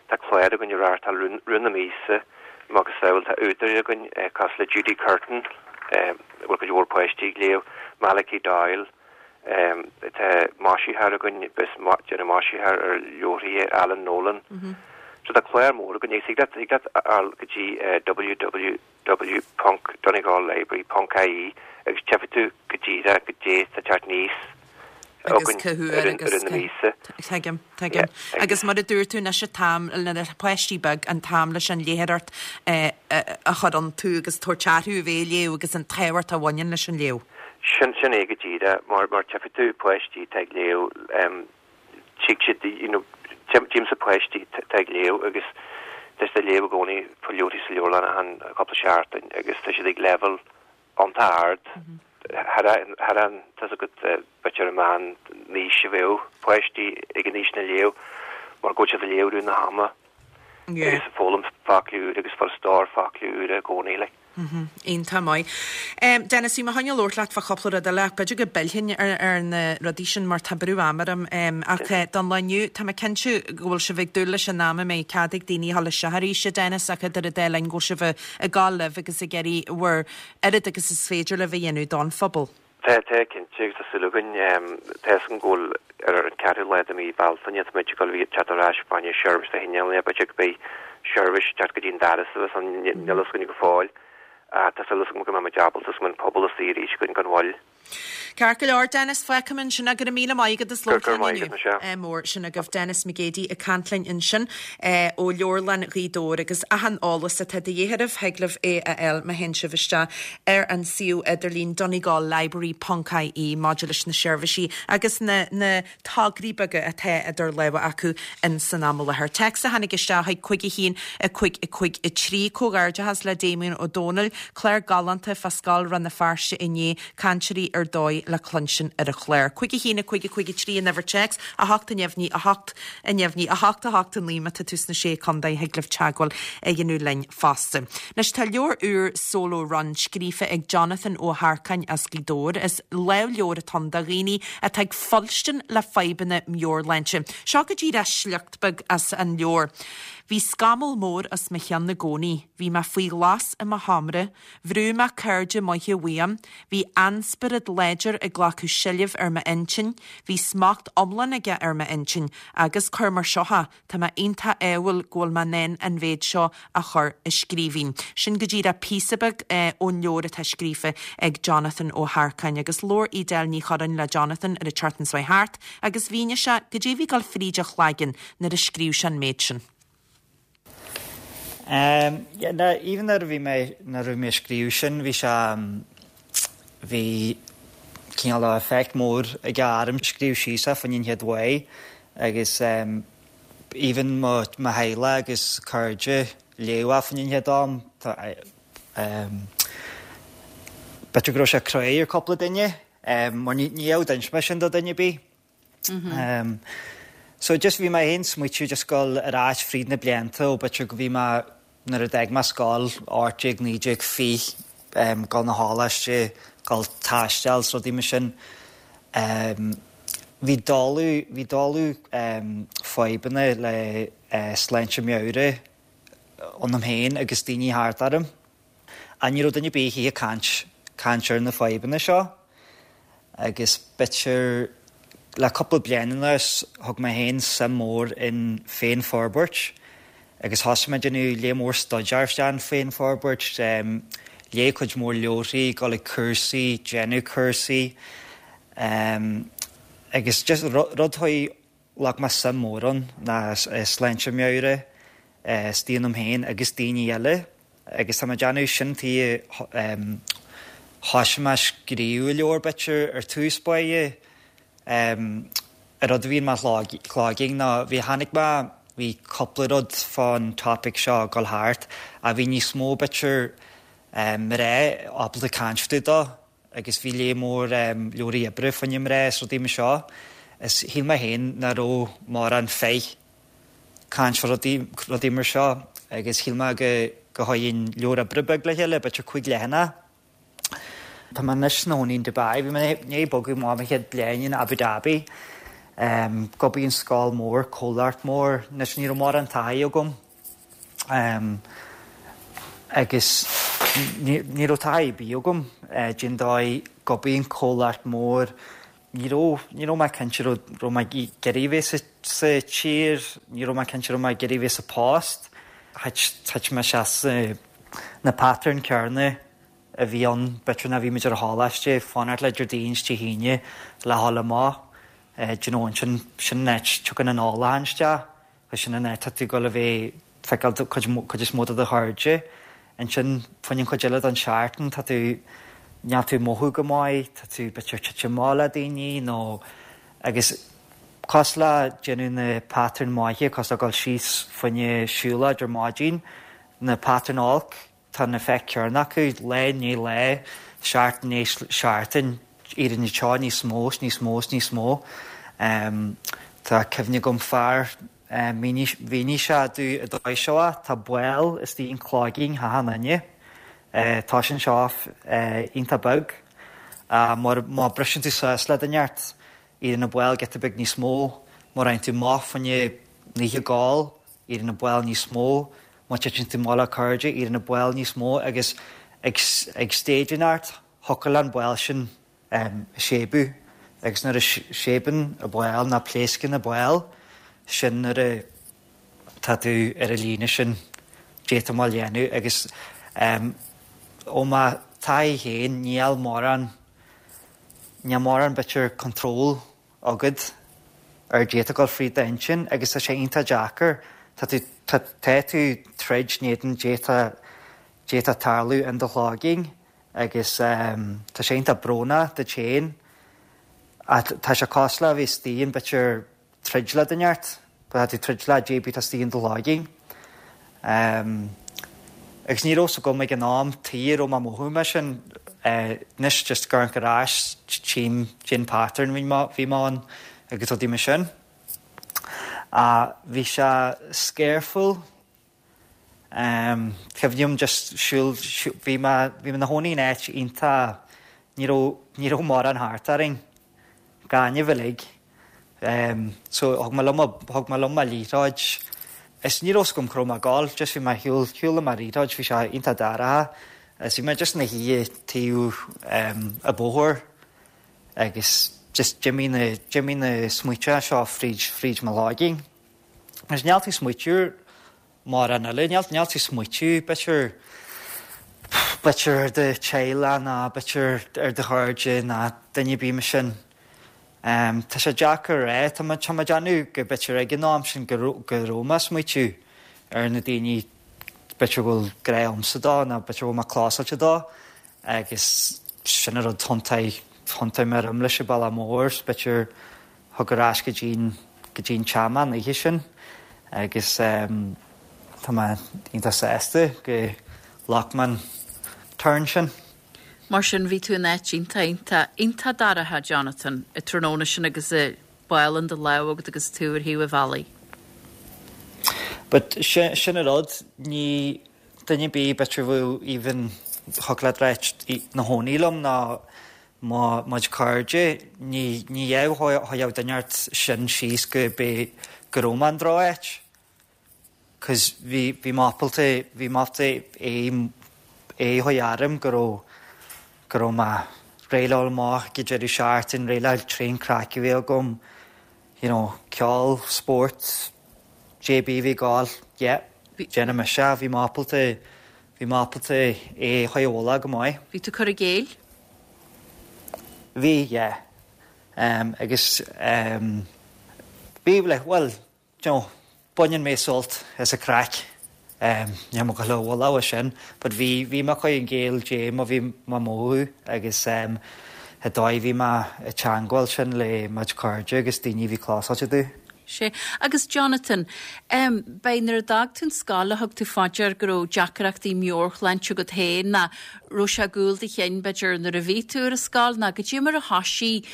tá clár againn á reáchtáil rith na míosa, macasamhail, tá údair againn cosúil le Judy Curtin, a bhfuil cuid mhór páistí ag léamh, Malachy Doyle, Tá maisitheoir againn, bíos ag déanamh maisitheoir ar leabharthaí Alan Nolan. So tá clár mór againn. Thig leat thig leat a fháil go dtí www ponc donegallibrary ponc ie agus tchífidh tú go díreach goidé tá ag teacht aníos Agus againn cá huair ar an agus ar na cá míosa. Tuigim, tuigim. Agus mar a dúirt tú anois an t-am le na páistí beag an t-am leis an léitheoireacht a chur iontu agus tabhairt orthu a bheith ag léamh agus an tábhacht a bhaineann leis an léamh. Sin, sin é go díreach, mar, mar tchífidh tú páistí atá ag léamh, tchífidh siad, you know, tchímse páistí atá ag léamh agus tá siad ag léamh i gcónaí faoi leabharthaí sa leabharlann achan cúpla seachtain agus tá siad ag leibhéal iontach ard thar thar an, tá 's agat, b'fhéidir an meán aois a bheadh páistí ag an aois sin ag léamh mar go bhfuil siad ag léamh i rith na hama agus ag foghlaim focla úra agus ag fáil stór focla úra i gcónaí, like. Iontach maith. Dennis, bhí mé chun labhairt leat fá chúpla rud eile ach b'fhéidir go bpillfinn ar na rudaí sin mar tá brú ama orm. Ach don lá inniu, tá mé cinnte go bhfuil sibh ag dúil leis an am a mbeidh cead ag daoine a dhul isteach arís, a Dennis, ach idir an dá linn go bhfuil sibh ag gabháil libh agus ag iarraidh bhur oiread agus is féidir libh a dhéanamh don phobal. Tá, tá, cinnte, agus tá súil againn, tá fhios agam go bhfuil ar an ceathrú lá de mhí Bealtaine, tá muid ag dul a bheith ag teacht ar ais fá choinne seirbhís do thine, b'fhéidir go mbeidh seirbhís ag teacht go dtí an doras a bheas ann, níl fhios againn go fóill, ach tá súil agam go mbeidh muid ábalta is go mbeidh an pobal istigh arís againn gan mhoill. Ceart go leor, Dennis, fágfaidh mé ansin é. Go raibh míle maith agat as labhairt linn maith inniu. agat, Michelle. Ádh mór, sin agaibh Dennis McGeady ag caint linn ansin ó Leabharlann Ghaoth Dobhair agus achan eolas atá de dhíth oraibh, thig libh é a fháil má théann sibh isteach ar an suíomh idirlín donegallibrary ponc ie maidir leis na seirbhísí agus na na tograí beaga atá idir lámha acu in san am i láthair. Téacs a tháinig isteach chuig 5 1 5 5 3 Comhghairdeachas le Damien Ó Dónaill, clár galánta fá Scoil Rann na Feirste inné, cainteoirí ar dóigh le cluinstin ar an chlár. 5 1 5 5 3 an uimhir téacs, 8 neamhní 8 neamhní 8 8 9 má tá tú sna Sé Contae thig libh teagmháil a dhéanamh linn fosta. Anois tá leabhar úr Solo Run scríofa ag Jonathan Ó hEarcáin as Gaoth Dobhair. Is lámhleabhar atá ann do dhaoine atá ag fuilstin le fadhbanna meabhairshláinte. Seo go díreach sliocht beag as an leabhar. Bhí scamall mór os mo chionn i gcónaí, bhí mé faoi ghlas i mo sheomra, bhrúigh mé cairde maithe uaim, bhí ainspiorad láidir ag glacadh seilbh ar m'intinn, bhí smacht iomlán aige ar m'intinn agus, cuir mar seo é, tá mé iontach ádhúil go bhfuil mé in ann an mhéid seo a chur i scríbhinn. Sin go díreach píosa beag ón leabhar atá scríofa ag Jonathan Ó hEarcáin agus labhair Edel Ní Churráin le Jonathan ar an tseachtain seo thart agus mhínigh sé goidé a bhí ag dul fríd a chlaigeann nuair a scríobh sé an méid sin. Ehm, yeah, na, even nuair a bhí mé, nuair a bhí mé ag scríobh sin, bhí sé, bhí cineál de effect mór aige orm. Scríobh síos é fá choinne an chéad uair agus ehm, even mo, mo theaghlach agus cairde léadh é fá choinne an chéad am, tá, ehm, b'fhéidir go raibh sé cruaidh ar cúpla duine, ehm, mar ní, ní raibh d'inis mé sin do duine ar bith. So just bhí mé féin smaoitiú just dul ar ais fríd na blianta ó b'fhéidir go bhí mé nuair a d'fhág mé scoil, 18, 19, 20, dul 'na choláiste, dul taisteal 's rudaí mar sin. Bhí dáileadh, bhí dáileadh fadhbanna le sláinte meabhrach ionam féin agus daoine thart orm. Ach ní raibh duine ar bith ag caint, caint ar na fadhbanna seo agus b'fhéidir le cúpla bliain anuas thug mé féin suim mór in féinfhorbairt agus thosaigh mé ag déanamh léar mór staidéar isteach in féinfhorbairt, léigh cuid mhór leabharthaí, dul ag cúrsaí, déanamh cúrsaí agus just rud a chuaigh Ghlac mé suim mór ann ná sláinte meabhrach istigh ionam féin agus daoine eile agus tá mé ag déanamh sin tuige thosaigh mé ag scríobh an leabhar b'fhéidir ar tús báire. An rud a bhí in mo chloigeann ná bhí tháinig mé bhí cúpla rud fán topic seo ag dul thart ach bhí níos mó b'fhéidir mná ábalta caint fá dtaobh dó. agus bhí léar mór leabharthaí oibre fá choinne mná is rudaí mar seo is shíl mé féin nach raibh mórán fir caint fá rudaí, rudaí mar seo agus shíl mé go, go chuirfinn leabhar oibre beag le chéile, b'fhéidir 5 leathanach. Tá mé anois ina chónaí in Dubai, bhí mé i ndiaidh bogadh amach mo chéad bliain in Abu Dhabi, gurb í an scoil mór, comhlacht mór, anois ní raibh mórán taithí agam. Agus ní raibh taithí ar bith agam cén dóigh gurb í an comhlacht mór. Ní raibh, ní raibh mé cinnte raibh, raibh mé ag iarraidh bheith sa, sa tír, ní raibh mé cinnte raibh mé ag iarraidh bheith sa post. Thit, thit mé isteach sa, na pattern céarna a bhí ann, b'fhéidir nuair a bhí muid ar an choláiste, fanacht le Déardaoin is Dé hAoine le dhul amach, do you know, ansin, sin an áit, tiocfaidh an ólachán isteach. Sin an áit tá tú ag dul a bheith feiceáil cuid cuid is mó de do chairde. Ansin fá choinne an chuid eile den seachtain tá tú níl tú ag mothú go maith, tá tú b'fhéidir titim amach le daoine nó agus cosúil le déanamh na pattern maithe cosúil le dul síos fá choinne siúlóid ar maidin, na pattern olc Tá an effect céarna acu, lá i ndiaidh lae, seachtain i ndiaidh seachtain, éiríonn an teo níos mó 's níos mó 's níos mó. Tá cuimhne agam fear, mhínigh sé domh an dóigh seo, tá ball istigh in cloigeann achan duine, tá sin seo iontach beag, má briseann tú suas le duine ort, éiríonn an ball giota beag níos mó, má raibh tú amach fá choinne oíche ag ól, éiríonn an ball níos mó, Má titeann tú amach le cairde, éiríonn an baol níos mó agus ag ag stage inteacht, thiocfadh le an baol sin séibeadh agus nuair a séibeann an baol nó pléascann an baol, sin nuair a tá tú ar an líne sin d'fhéadfá mé a dhéanamh agus ó mo thaithí féin níl mórán níl mórán b'fhéidir control agat ar goidé atá ag dul fríd d'intinn agus tá sé iontach deacair, tá tú, tá, tá tú troid in éadan goidé atá, goidé atá ag tarlú in do chloigeann agus tá sé iontach brónach duit féin ach tá sé cosúil le a bheith istigh in b'fhéidir troid le duine ort, tá tú troid le goidé atá istigh in do chloigeann. Agus ní raibh 's agam ag an am tuige a raibh mé ag mothú mar sin. Anois just ag amharc ar ais tchím cén pattern bhí mé bhí mé ann agus rudaí mar sin. Ach bhí sé scareful. Cuimhním just siúl bhí mé bhí mé ina chónaí in áit iontach ní raibh ní raibh mórán thart orainn. Gaineamh uilig. So thug mé liom thug mé liom mo liathróid. Is ní raibh 's agam cá raibh mé ag gabháil, just bhí mé ar shiúl, shiúl le mo liathróid, bhí sé iontach dorcha is bhí mé just ina shuí taobh an bóthair agus just d'imigh na, d'imigh na smaointe seo fríd, fríd mo chloigeann. Agus níl tú ag smaoitiú ar mórán eile, níl, níl tú ag smaoitiú b'fhéidir, b'fhéidir ar do teaghlach ná b'fhéidir ar do chairde ná duine ar bith mar sin. Tá sé deacair a rá. Tá mé ag déanamh go b'fhéidir ag an am sin go raibh mé ag smaoitiú ar na daoine b'fhéidir go bhfuil grá agamsa dó nó b'fhéidir go bhfuil mé clósáilte dó agus sin an rud thiontaigh thiontaigh mé orm leis an bealach mór is b'fhéidir thug ar ais go dtí'n go dtí'n teach mé an oíche sin agus tá mé iontach sásta go ghlac mé an turn sin. Mar sin, bhí tú in áit iontach, iontach, iontach dorcha, Jonathan, an tráthnóna sin agus an ball in do lámh agat agus tú ar thaobh an bhealaigh. But sin an rud, ní duine ar bith b'fhéidir bheadh even thiocfadh leat ráit ina chónaí liom ná mo chuid cairde, ní ní gheobhadh duine ort sin síos go bé go raibh mé in droch-áit. 'Cause bhí, bhí mé ábalta, bhí mé ábalta é, é a chur orm go raibh, go raibh mé réidh le dhul amach ag an deireadh seachtain, réidh le tréan craic a bheith agam, you know, ceol, spórt, JB bhí ag gabháil, yeah, déanfaidh mise é, bhí mé ábalta, bhí mé ábalta é a chur i bhfolach go maith. Bhí tú cur i gcéill? Bhí, yeah. Um, agus um, bhí, like, well, you know, baineann mé sult as an craic, níl mé ag gabháil a mholadh é sin, but bhí, bhí mé ag cur i gcéill dé mar bhí mé ag mothú agus an dóigh bhí mé ag teangmháil sin le mo chuid cairde agus daoine a bhí clósáilte domh. Sea. Agus Jonathan, em, b'é nuair a d'fhág tú an scoil a thug tú fá dear go raibh deacrachtaí meabhairshláinte agat féin ná raibh sé i gcúl do chinn, b'fhéidir, nuair a bhí tú ar an scoil ná goidé mar a thoisigh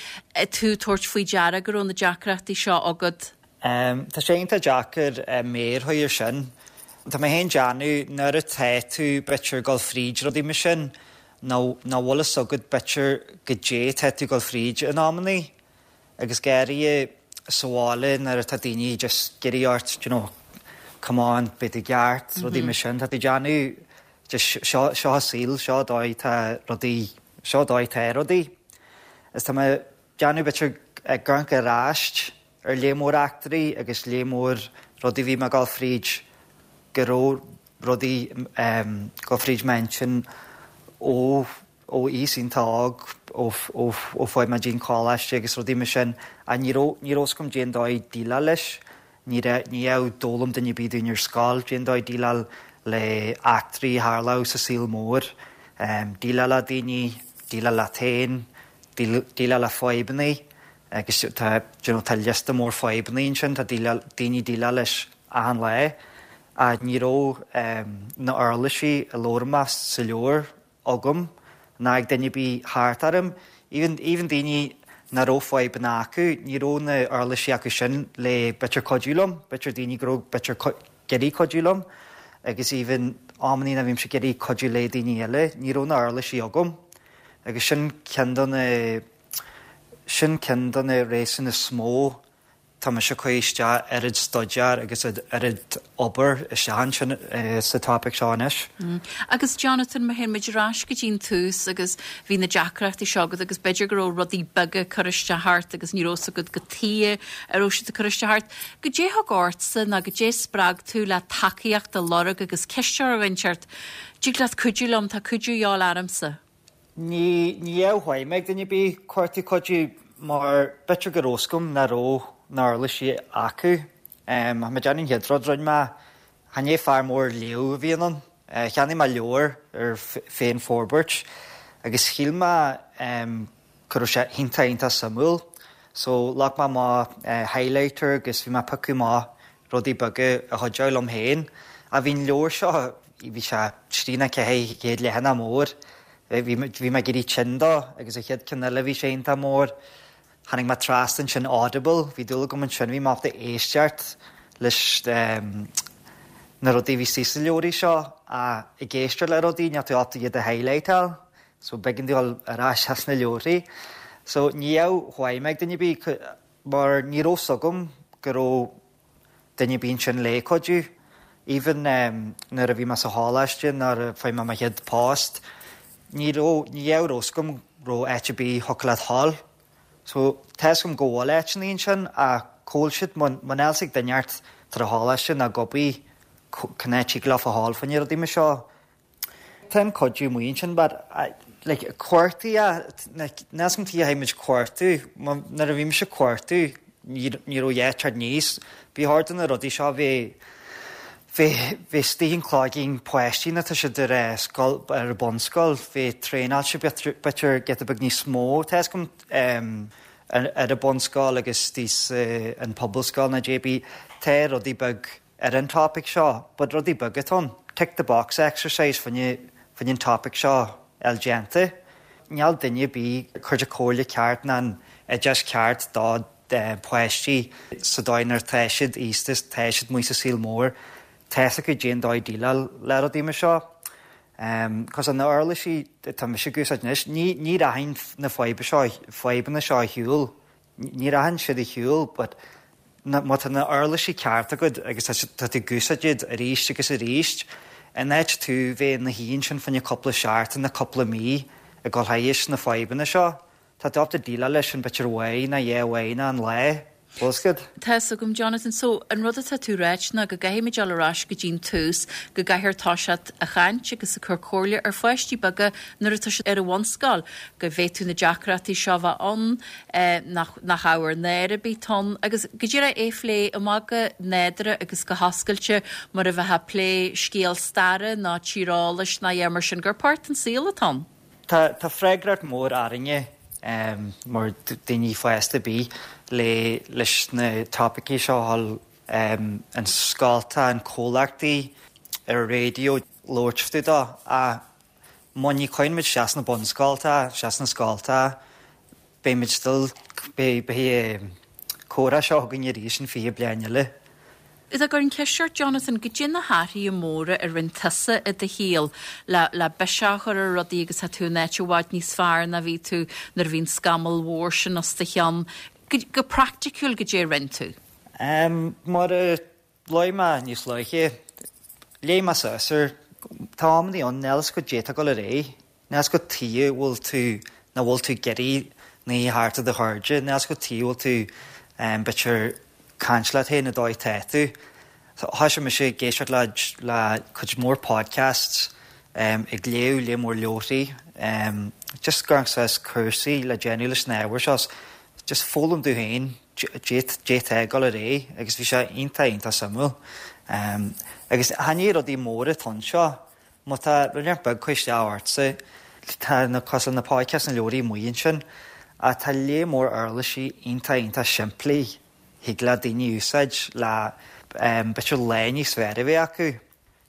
tú tabhairt faoi deara go raibh na deacrachtaí seo agat? Tá sé iontach deacair méar a chur air sin. Tá mé féin déanamh nuair atá tú b'fhéidir ag dul fríd rudaí mar sin nó nach bhfuil fhios agat b'fhéidir goidé atá tú ag dul fríd in amannaí agus go háirithe sa bhaile nuair atá daoine just ag iarraidh ort you know come on beidh tú i gceart rudaí mar sin tá tú déanamh just seo seo an saol seo dóigh tá rudaí seo dóigh tá rudaí is tá mé déanamh b'fhéidir ag amharc ar ais ar lear mór eachtraí agus lear mór rudaí a bhí mé ag dul fríd, go raibh rudaí ag dul fríd m'intinn ó ó aois iontach óg, ó ó ó fuair mé dtí'n choláiste agus rudaí mar sin ach ní raibh ní raibh fhios agam cén dóigh déileáil leis, ní raibh ní raibh d'fhoghlaim duine ar bith dúinn ar scoil cén dóigh déileáil le eachtraí a tharlódh sa saol mór, déileáil le daoine, déileáil leat féin, déileáil le fadhbanna. Agus tá, do you know, tá liosta mór fadhbanna ansin, tá daoine ag déileáil leis achan lá. Ach ní raibh na uirlisí a labhair mé sa leabhar agam ná ag duine ar bith thart orm. Even, even daoine nach raibh fadhbanna acu, ní raibh na uirlisí acu sin le b'fhéidir cuidiú liom, b'fhéidir daoine go raibh b'fhéidir ag iarraidh cuidiú liom agus even amannaí nuair a bhímse ag iarraidh cuidiú le daoine eile, ní raibh na uirlisí agam. Agus sin ceann de na. Sin ceann de na réasúin is mó tá mise ag cur isteach oiread staidéar agus oiread obair isteach ansin sa topaic seo anois. Agus Jonathan, má théann muid ar ais go dtí an tús agus bhí na deacrachtaí seo agat agus b'fhéidir go raibh rudaí beaga ag cur isteach ort agus ní raibh fhios agat cad chuige a raibh siad ag cur isteach ort. Goidé thug ortsa nó goidé spreag tú le tacaíocht a lorg agus ceist a chur ar dhuine inteacht, dtig leat cuidiú liom, tá cuidiú a dhíobháil ormsa? Ní bheadh feidhm ag duine ar bith cuartú cuidiú mar b'fhéidir go raibh fhios agam nach raibh na huirlisí acu. Tá mé ag déanamh an chéad rud rinne mé, chan é fear mór léamh a bhí ionam. Cheannaigh mé leabhar ar féin-forbairt agus shíl mé go raibh sé iontach iontach suimiúil. So ghlac mé amach highlighter agus bhí mé ag piocadh amach rudaí beaga a chuideodh liom féin. Ach bhí an leabhar seo, bhí sé 3 nó 400 leathanach mór. Bhí mé ag éirí tinn dó agus an chéad ceann eile bhí sé iontach mór. Tháinig mé trasna ansin Audible, bhí dúil agam ansin, bhí mé ábalta éisteacht leis na rudaí a bhí istigh sna leabhraí seo ach ag éisteacht le rudaí níl tú ábalta iad a highlightáil so b'éigean dom dul ar ais as na leabhraí. So ní raibh feidhm ag duine ar bith mar ní raibh 's agam go raibh duine ar bith ansin le cuidiú. Even nuair a bhí mé sa choláiste, nuair a fuair mé mo chéad post, ní raibh, ní raibh fhios agam raibh áit ar bith thiocfadh leat dhul. So, tá fhios agam go bhfuil áiteanna ansin ach cá bhfuil siad, muna bhfuil fhios ag duine inteacht tar a choláiste ná gobaí cén áit thig leofa dhul fá choinne rudaí mar seo. Tá an cuidiú amuigh ansin but like cuartaigh like níl fhios agam tuige a chaithfidh muid cuartú nuair a bhí mise ag cuartú ní ní raibh a dhath ag teacht aníos. Ba chóir do na rudaí seo bheith bheith bheith istigh in cloigeann páistí nuair atá siad ar eh scoil ar an bunscoil bheith traenáilte b'fhéidir giota beag níos mó tá fhios agam em ar ar an bunscoil agus istigh sa an pobalscoil nó JB tá rudaí beag ar an topaic seo, but rudaí beaga atá ann, tick the box exercise fá choinne fá choinne an topaic seo a fháil déanta. Níl duine ar bith ag cur de comhairle ceart ná an oideas ceart do pháistí sa dóigh nuair atá siad aosta is tá siad amuigh sa saol mór, tá fhios acu cén dóigh déileáil le rudaí mar seo. Cos na uirlisí atá mise ag úsáid anois, ní ní rachaidh na fadhba seo fadhbanna seo ar shiúl Ní rachaidh siad ar shiúl but má tá na uirlisí ceart agat agus tá tú ag úsáid iad arís agus arís, in áit tú bheith ina shuí ansin fá choinne cúpla seachtain nó cúpla mí ag dul thairis na fadhbanna seo, tá tú ábalta déileáil leis sin b'fhéidir uair nó dhá uair nó an lá. Bhfuil fhios agat? Tá fhios agam, Jonathan. So, an rud atá tú ráit ná go gcaithfimid dul ar ais go dtí'n tús, go gcaithfear toiseacht a chaint agus a cur comhairle ar pháistí beaga nuair atá siad ar an bhunscoil, go bhféadfadh na deacrachtaí seo bheith ann, nach nach ábhar náire ar bith atá ann, agus go díreach é phlé amach go nádúrtha agus go hoscailte mar a bheifeá ag plé scéal staire ná tíreolais ná a dhath mar sin, gur páirt den saol atá ann. Tá tá freagracht mór orainne mar daoine fásta ar bith le leis na topaicí seo a dhul an scolta, an comhlachtaí, ar an raidió labhairt fá dtaobh dó ach má ní chuireann muid isteach sna bunscolta, isteach sna scolta, beidh muid still, beidh, beidh an comhrá seo againn arís in 20 bliain eile. Dá gcuirfinn ceist ort, Jonathan, goidé na hathruithe móra a rinne tusa i do shaol le, le biseach a chur ar rudaí agus tá tú in áit i bhfad níos fearr ná bhí tú nuair a bhí an scamall mhór sin os do chionn. Go, go praiticiúil, goidé a rinne tú? Mar a Luaigh mé níos luaithe, léigh mé suas air, tá amannaí ann, níl fhios agat goidé atá ag dul ar aghaidh, níl fhios agat tuige a bhfuil tú, nach bhfuil tú ag iarraidh ní thart ar do chairde, níl fhios agat tuige a bhfuil tú b'fhéidir caint leat féin an dóigh atá tú. Thoisigh mise ag éisteacht le le cuid mhór podcasts, ag léamh lear mór leabharthaí, just ag amharc suas cúrsaí le déanamh leis na ábhair seo, just foghlaim domh féin. Goidé atá ag dul ar aghaidh agus bhí sé iontach iontach suimiúil. Agus chan é rudaí móra atá anseo, má tá rud inteacht beag ag cur isteach ortsa, tá na cosúil na podcasts na leabharthaí amuigh ansin, ach tá lear mór uirlisí iontach iontach simplí thig le daoine úsáid le b'fhéidir lá níos fearr a bheith acu.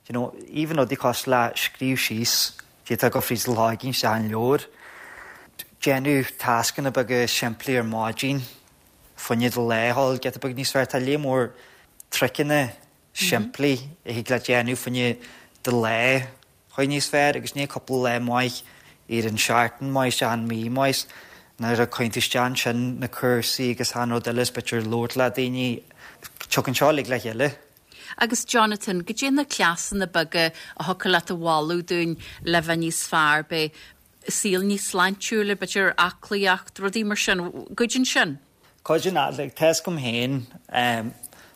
You know, even rudaí cosúil le scríobh síos, goidé atá ag dul fríd do chloigeann isteach in leabhar, déanamh tascanna beaga simplí ar maidin, fá choinne do lá a ghabháil giota beag níos fearr. Tá lear mór triceanna simplí a thig leat déanamh fá choinne do lá a ghabháil níos fearr agus ní cúpla lá maith ar an seachtain maith isteach an mí maith nuair a chuireann tú isteach ansin na cúrsaí agus achan rud eile is b'fhéidir labhairt le daoine, tiocfaidh seo uilig le chéile. Agus Jonathan, goidé na cleasanna beaga a thiocfadh leat a mholadh dúinn le bheith níos fearr, b'fhéidir saol níos sláintiúla, b'fhéidir aclaíocht, rudaí mar sin, cuidíonn sin? Cuidíonn, like, tá fhios agam féin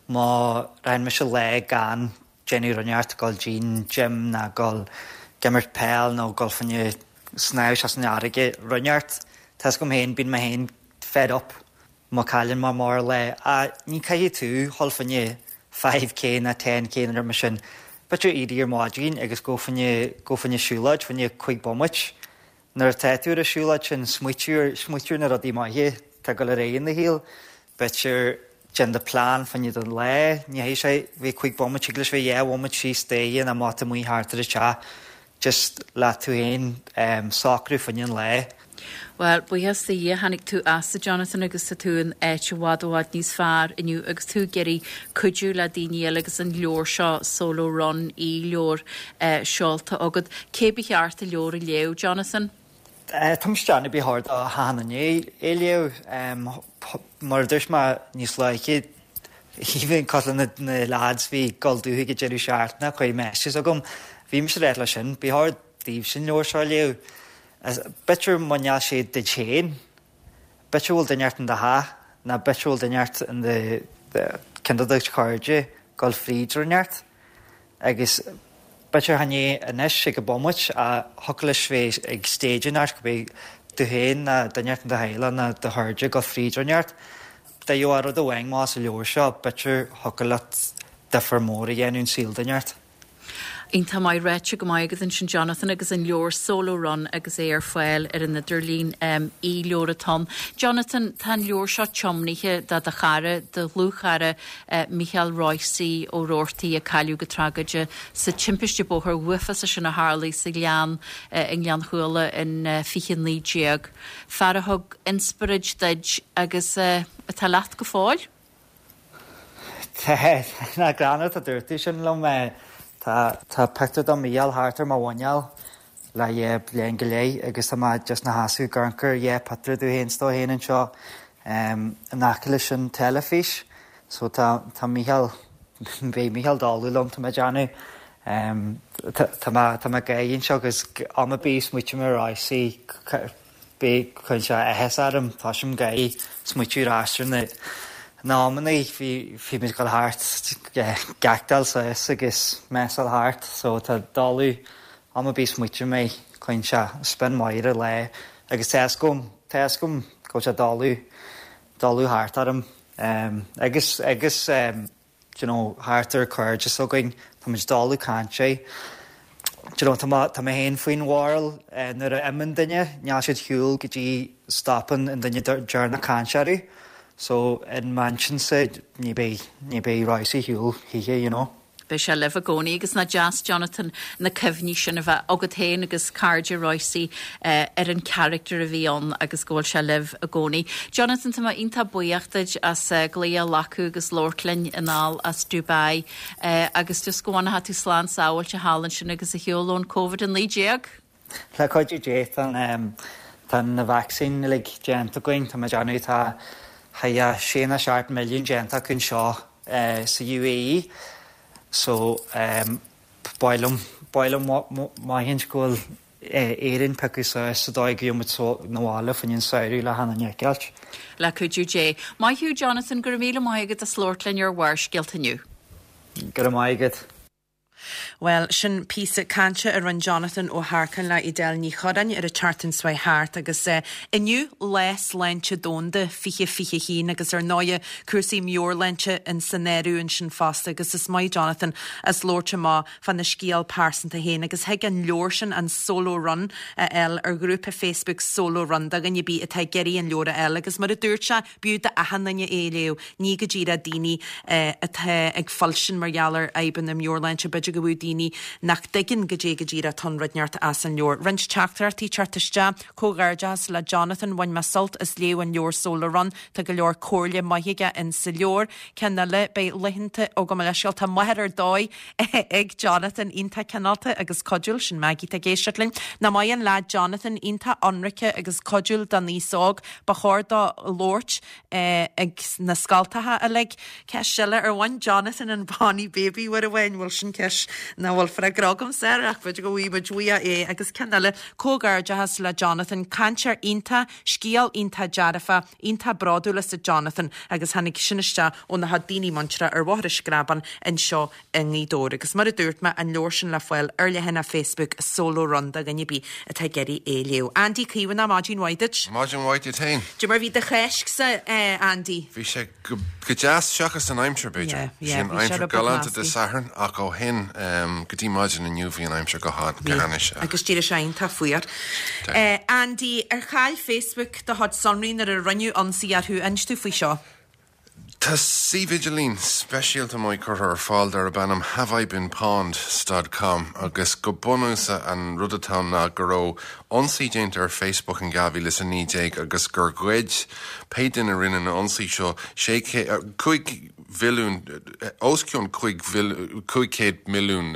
má rachainn mise lá gan déanamh rud inteacht, dul dtí'n gym ná dul ag imirt peil nó dul fá choinne snámh isteach san fharraige, rud inteacht, tá fhios agam féin, bíonn mé féin fed up. Má cailleann mé mar lá, ach ní caithfidh tú dhul fá choinne 5K ná 10K nó rud mar sin. B'fhéidir éirí ar maidin agus gabh fá choinne, gabh fá choinne siúlóid, fá choinne 5 bomaite. Nuair atá tú ar an siúlóid sin, smaoitiú ar, smaoitiú ar na rudaí maithe atá ag dul ar aghaidh in do shaol. B'fhéidir déan do plean fá choinne don lá. Ní chaithfidh sé bheith 5 bomaite, thig leis bheith 2 bhomaite síos staighre nó amach amuigh thart ar an teach. Just le tú féin socrú fá choinne an lae. Bhuel, buíochas do Dhia, tháinig tú as a Jonathan agus tá tú in áit i bhfad i bhfad níos fearr inniu agus tú ag iarraidh cuidiú le daoine eile agus an leabhar seo, Solo Run, e-leabhar, seolta agat. Cé ba cheart an leabhar a léamh, Jonathan? Tá mise ag déanamh ba chóir do achan duine é a léamh. Mar a dúirt mé níos luaithe, Even cosúil le na lads bhí ag dul dúthaigh ag deireadh seachtaine chuir messages chugam. Bhí mise ag ráit leis sin, ba chóir daoibhse an leabhar seo a léamh. B'fhéidir mura níl sé duit féin, b'fhéidir go bhfuil duine inteacht in do theach nó b'fhéidir go bhfuil duine inteacht in do ceann de do chairde ag dul fríd rud inteacht. Agus b'fhéidir chan é anois ag an bomaite ach thiocfadh leis bheith ag stage inteacht go mbeidh tú féin nó duine inteacht in do theaghlach nó do chairde ag dul fríd rud inteacht. Dá gheofá rud amháin amach as an leabhar seo, b'fhéidir thiocfadh leat difear mór a dhéanamh in saol duine inteacht. Iontach maith ráite go maith agat ansin Jonathan agus an leabhar Solo Run agus é ar fáil ar an idirlíon, e-leabhar atá ann. Jonathan, tá an leabhar seo tiomnaithe do do chara, do dhlúthchara Mícheál Royce Ó Rabhartaigh a cailleadh go tragóideach sa timpiste bóthair uafásach sin a tharlaigh sa ghleann i nGleann Chuala in 2019. Fear a thug inspioráid duit agus atá leat go fóill. Tá, nach greannmhar atá dúirt tú sin liom. Tá, tá pictiúr de Mhícheál thart ar mo mhuineál le dhá bhliain go leith agus tá mé just ina sheasamh ag amharc ar dhá pictiúr domh féin 's dó féin anseo in aice leis an teilifís. So tá, tá Mícheál, beidh Mícheál dólú liom tá mé ag déanamh. Tá mé, tá mé ag gáire anseo agus am ar bith a smaoiním ar Royce, Beidh cuireann sé áthas orm, toisím ag gáire, smaoitiú ar ais ar na na amanna bhí bhí muid ag dul thart ag actáil suas agus messáil thart so tá dóladh am ar bith smaoitim air cuireann sé spion maith ar an lá agus tá fhios agam tá fhios agam go bhfuil sé dóladh dóladh thart orm agus agus do you know, thart ar cairde s'againn, tá muid dóladh caint air. Do you know, tá mé, tá mé féin faoin bharúil, nuair a imíonn duine, níl siad shiúl go dtí stopann an duine deireanach caint orthu. So, in m'intinnse, ní beidh, ní beidh Royce shiúl choíche, you know. Beidh sé libh i gcónaí agus nach deas, Jonathan, na cuimhní sin a bheith agat féin agus cairde Royce ar an character a bhí ann agus go bhfuil sé libh i gcónaí. Jonathan, tá mé iontach buíoch duit as glaoch a ghlacadh agus labhairt linn anall as Dubai agus just go bhfanfaidh tú slán sábháilte thall ansin agus ar shiúl ón Covid-19. Le cuidiú Dé, tá tá na vacsaíní uilig déanta againn, tá mé ag déanamh tá thar 6 nó 7 milliún déanta acu anseo sa UAE so ba mhaith liom, ba mhaith liom maithint go bhfuil Éirinn piocadh suas sa dóigh go gheobhaidh muid na bhaile fá choinne an samhradh le hAnna Nic Ailt. Le cuidiú Dé. Maith thú Jonathan, go raibh míle maith agat as labhairt linn ar Bharrscéalta inniu. Go raibh maith agat. Bhuel, sin píosa cainte a rinne Jonathan Ó hEarcáin le Edel Ní Churráin ar an tseachtain seo thart agus inniu Lá Sláinte Domhanda 2021 agus ar ndóighe cúrsaí meabhairshláinte in san áireamh ansin fosta agus is maith Jonathan as labhairt amach fána scéal pearsanta féin agus thig an leabhar sin, an Solo Run, a fháil ar ghrúpa Facebook Solo Run do dhuine ar bith atá ag iarraidh an leabhar a fháil agus mar a dúirt sé, b'fhiú d'achan duine é a léamh, ní go díreach daoine atá ag fuilsint mar gheall ar fhadhbanna meabhairshláinte, b'fhéidir go bhfiú daoine nach dtuigeann goidé go díreach atá ann rud inteacht as an leabhar. Roinnt teachtaireachtaí ag teacht isteach, Comhghairdeachas le Jonathan, bhain mé sult as léamh an leabhair Solo Run, tá go leor comhairle maith aige in sa leabhar. Ceann eile, beidh laethanta ó gabh mo leithscéal, tá máthair ar dóigh ag Jonathan, iontach cineálta agus cuidiúil, sin Maggie atá ag éisteacht linn. Nach maith an leaid Jonathan, iontach ionraice agus cuidiúil don aos óg, ba chóir dó labhairt ag na scoltacha uilig. Ceist eile, ar bhain Jonathan an Bonnie Baby uair amháin? Bhuel sin ceist nach bhfuil freagra agamsa air ach b'fhéidir go bhfaighidh muid uaidh é. Agus ceann eile, comhghairdeachas le Jonathan, cainteoir iontach, scéal iontach dearfach, Iontach bródúil asat Jonathan agus tháinig sin isteach ó na daoine muinteartha ar Bhóthar an Screabáin anseo i nGaoth Dobhair. Agus mar a dúirt mé, an leabhar sin le fáil ar leathanach Facebook Solo Run do dhuine ar bith atá ag iarraidh é a léamh. Andy Caomhánach, maidin mhaith duit. Maidin mhaith duit féin. Cad é mar bhí do Cháisc-sa, Andy? Bhí sé go deas, seachas an aimsir, b'fhéidir. Bhí an aimsir galánta Dé Sathairn ach ó shin go dtí maidin inniu bhí an aimsir go hainnis. Agus d'éirigh sé iontach fuar. Andy, ar chaill Facebook do chuid sonraí nuair a rinneadh ionsaí orthu? Inis domh faoi seo. Tá suíomh idirlín speisialta maith curtha ar fáil darb ainm haveibeenpwned stad com agus go bunúsach an rud atá ann ná go raibh ionsaí déanta ar Facebook in 2019 agus gur ghoid pé duine a rinne an ionsaí seo sé 5 mhilliún, os cionn 500 milliún.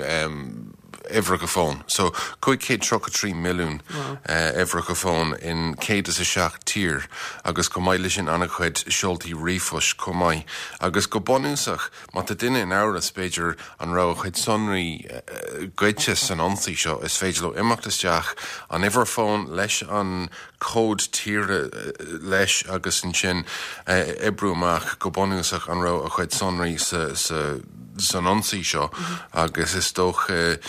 uimhreacha fóin. So 533 milliún uimhreacha fóin in 107 tír agus chomh maith leis sin an-chuid seoltaí ríomhphoist chomh maith. Agus go bunúsach, má tá duine in amhras, b'fhéidir, an raibh a chuid sonraí goidte san ionsaí seo, is féidir leo imeacht isteach, an uimhir fóin leis an cód tíre leis agus ansin oibriú amach go bunúsach an raibh a chuid sonraí sa san ionsaí seo agus is dócha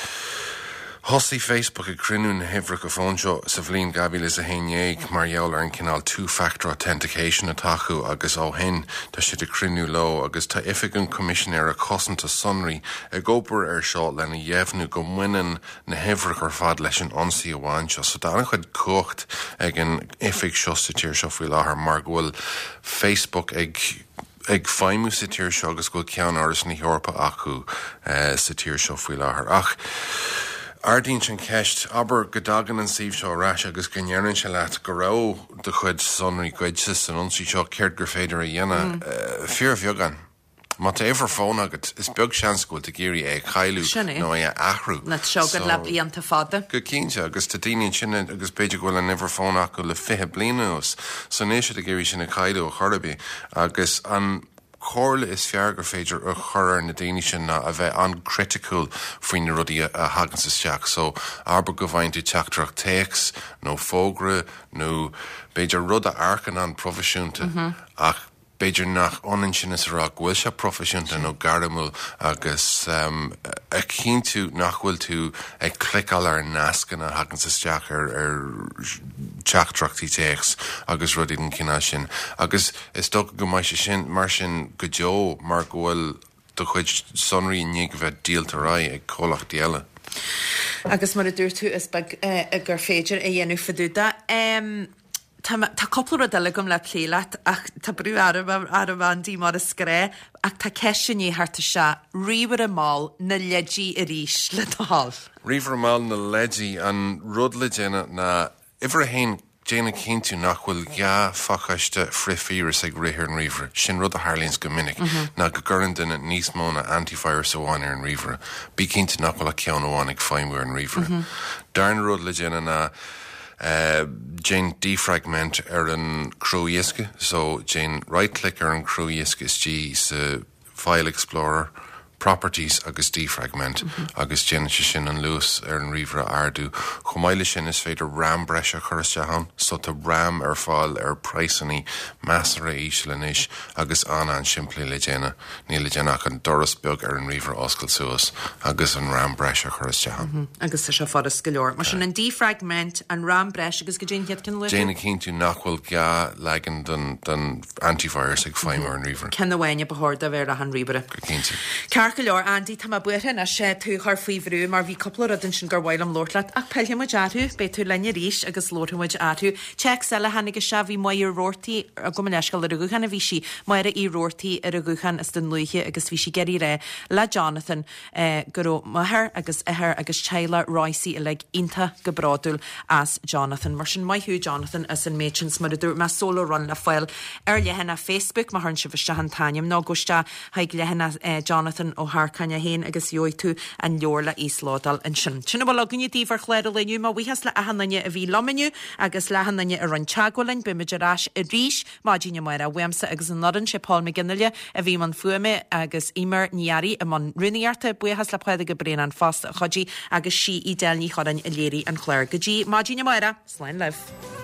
thosaigh Facebook ag cruinniú na huimhreacha fóin seo sa bhliain 2011 mar gheall ar an cineál two factor authentication atá acu agus ó shin tá siad ag cruinniú leo agus tá Oifig an Choimisinéara Cosanta Sonraí ag obair ar seo lena dheimhniú go mbaineann na huimhreacha ar fad leis an ionsaí amháin seo. So tá an-chuid cumhacht ag an oifig seo sa tír seo faoi láthair mar go bhfuil Facebook ag ag feidhmiú sa tír seo agus go bhfuil ceannáras na hEorpa acu sa tír seo faoi láthair. Ach ardaíonn sé an cheist, abair go dtagann an suíomh seo ar ais agus go ndeireann sé leat go raibh do chuid sonraí goidte san ionsaí seo, céard gur féidir a dhéanamh? Fíorbheagán. Má tá uimhir fóin agat, is beag seans go bhfuil tú ag iarraidh é a chailleadh Sin é. nó é a athrú. Nó tá sé agat le blianta fada. Go cinnte, agus tá daoine ansin agus b'fhéidir go bhfuil an uimhir fóin acu le 20 bliain anuas, so níl siad ag iarraidh sin a chailleadh ar chor ar bith. Agus an chomhairle is fearr gur féidir a chur ar na daoine sin ná a bheith an-chriticiúil faoi na rudaí a thaganns isteach. So, abair go bhfaigheann tú teachtaireacht téacs nó fógra nó b'fhéidir rud a amharcann an-phroifisiúnta ach B'fhéidir nach ionann sin is a rá go bhfuil sé proifisiúnta nó gairmiúil agus a chinntiú nach bhfuil tú ag cliceáil ar nascanna a thaganns isteach ar teachtaireachtaí téacs agus rudaí den chineál sin. Agus is dócha go mbeidh sé sin mar sin go deo mar go bhfuil do chuid sonraí i ndiaidh a bheith díolta ar aghaidh ag comhlachtaí eile. Agus mar a dúirt tú, is beag gur féidir a dhéanamh fá dtaobh de. Tá mé, tá cúpla rud eile agam le plé leat ach tá brú orm, orm Andy mar is gnáth ach tá ceist i ndiaidh theacht isteach, ríomhaire mall, na leidí arís le do thoil. Ríomhaire mall, na leidí, an rud le déanamh ná, uimhir a haon, déan a chinntiú nach bhfuil 2 phacáiste frithvíreas ag rith ar an ríomhaire. Sin rud a tharlaíonns go minic, ná go gcuireann duine níos mó ná antivirus amháin ar an ríomhaire. Bí cinnte nach bhfuil ach ceann amháin ag feidhmiú ar an ríomhaire. Darna rud le déanamh ná, Déan defragment ar an crua-dhiosca, so déan right click ar an crua-dhiosca istigh sa File Explorer, Properties agus Defragment agus déanann sé sin an luas ar an ríomhaire a ardú. Chomh maith leis sin is féidir RAM breise a chur isteach ann, so tá RAM ar fáil ar praghsannaí measartha íseal anois agus an-an-simplí le déanamh. Níl le déanamh ach an doras beag ar an ríomhaire a oscailt suas agus an RAM breise a chur isteach ann. Agus tá sé furast go leor. Mar sin, an defragment, an RAM breise agus goidé an chéad ceann a luaigh tú? Déan a chinntiú nach bhfuil 2 leagan den antivirus ag feidhmiú ar an ríomhaire. Ceann amháin a ba chóir do bheith ar achan ríomhaire. Go cinnte. Ceart go leor, Andy, tá mé buartha anois tú a chur faoi bhrú mar bhí cúpla rud ansin gur mhaith liom labhairt leat ach pillfidh muid orthu, beidh tú linn arís agus labharfaidh muid orthu. Téacs eile a tháinig isteach, bhí Máire Roarty, gabh mo leithscéal, ar an ghuthán a bhí sí, Máire Uí Roarty ar an ghuthán as Dún Lúiche agus bhí sí ag iarraidh a rá le Jonathan go raibh máthair agus athair agus teaghlach Royce uilig iontach go bródúil as Jonathan. Mar sin, maith thú Jonathan as an méid sin 's mar a dúirt mé, Solo Run le fáil ar leathanach Facebook má chuireann sibh isteach an t-ainm nó gabh isteach chuig leathanach Jonathan Ó hEarcáin é féin agus gheobhaidh tú an leabhar le íoslódáil ansin. Sin a bhfuil againne daoibh ar chlár an lae inniu. Mo bhuíochas le achan duine a bhí liom inniu agus le achan duine a rinne teagmháil linn. Beimid ar ais arís maidin amárach uaimse agus an fhoireann, sé Paul McGinley a bhí i mbun fuaime agus Eimear Ní Fhearraigh i mbun rúnaíochta. Buíochas le Pádraig Ó Braonáin fosta a chuidigh agus sí Edel Ní Churráin a léirigh an clár. Go dtí maidin amárach, slán libh.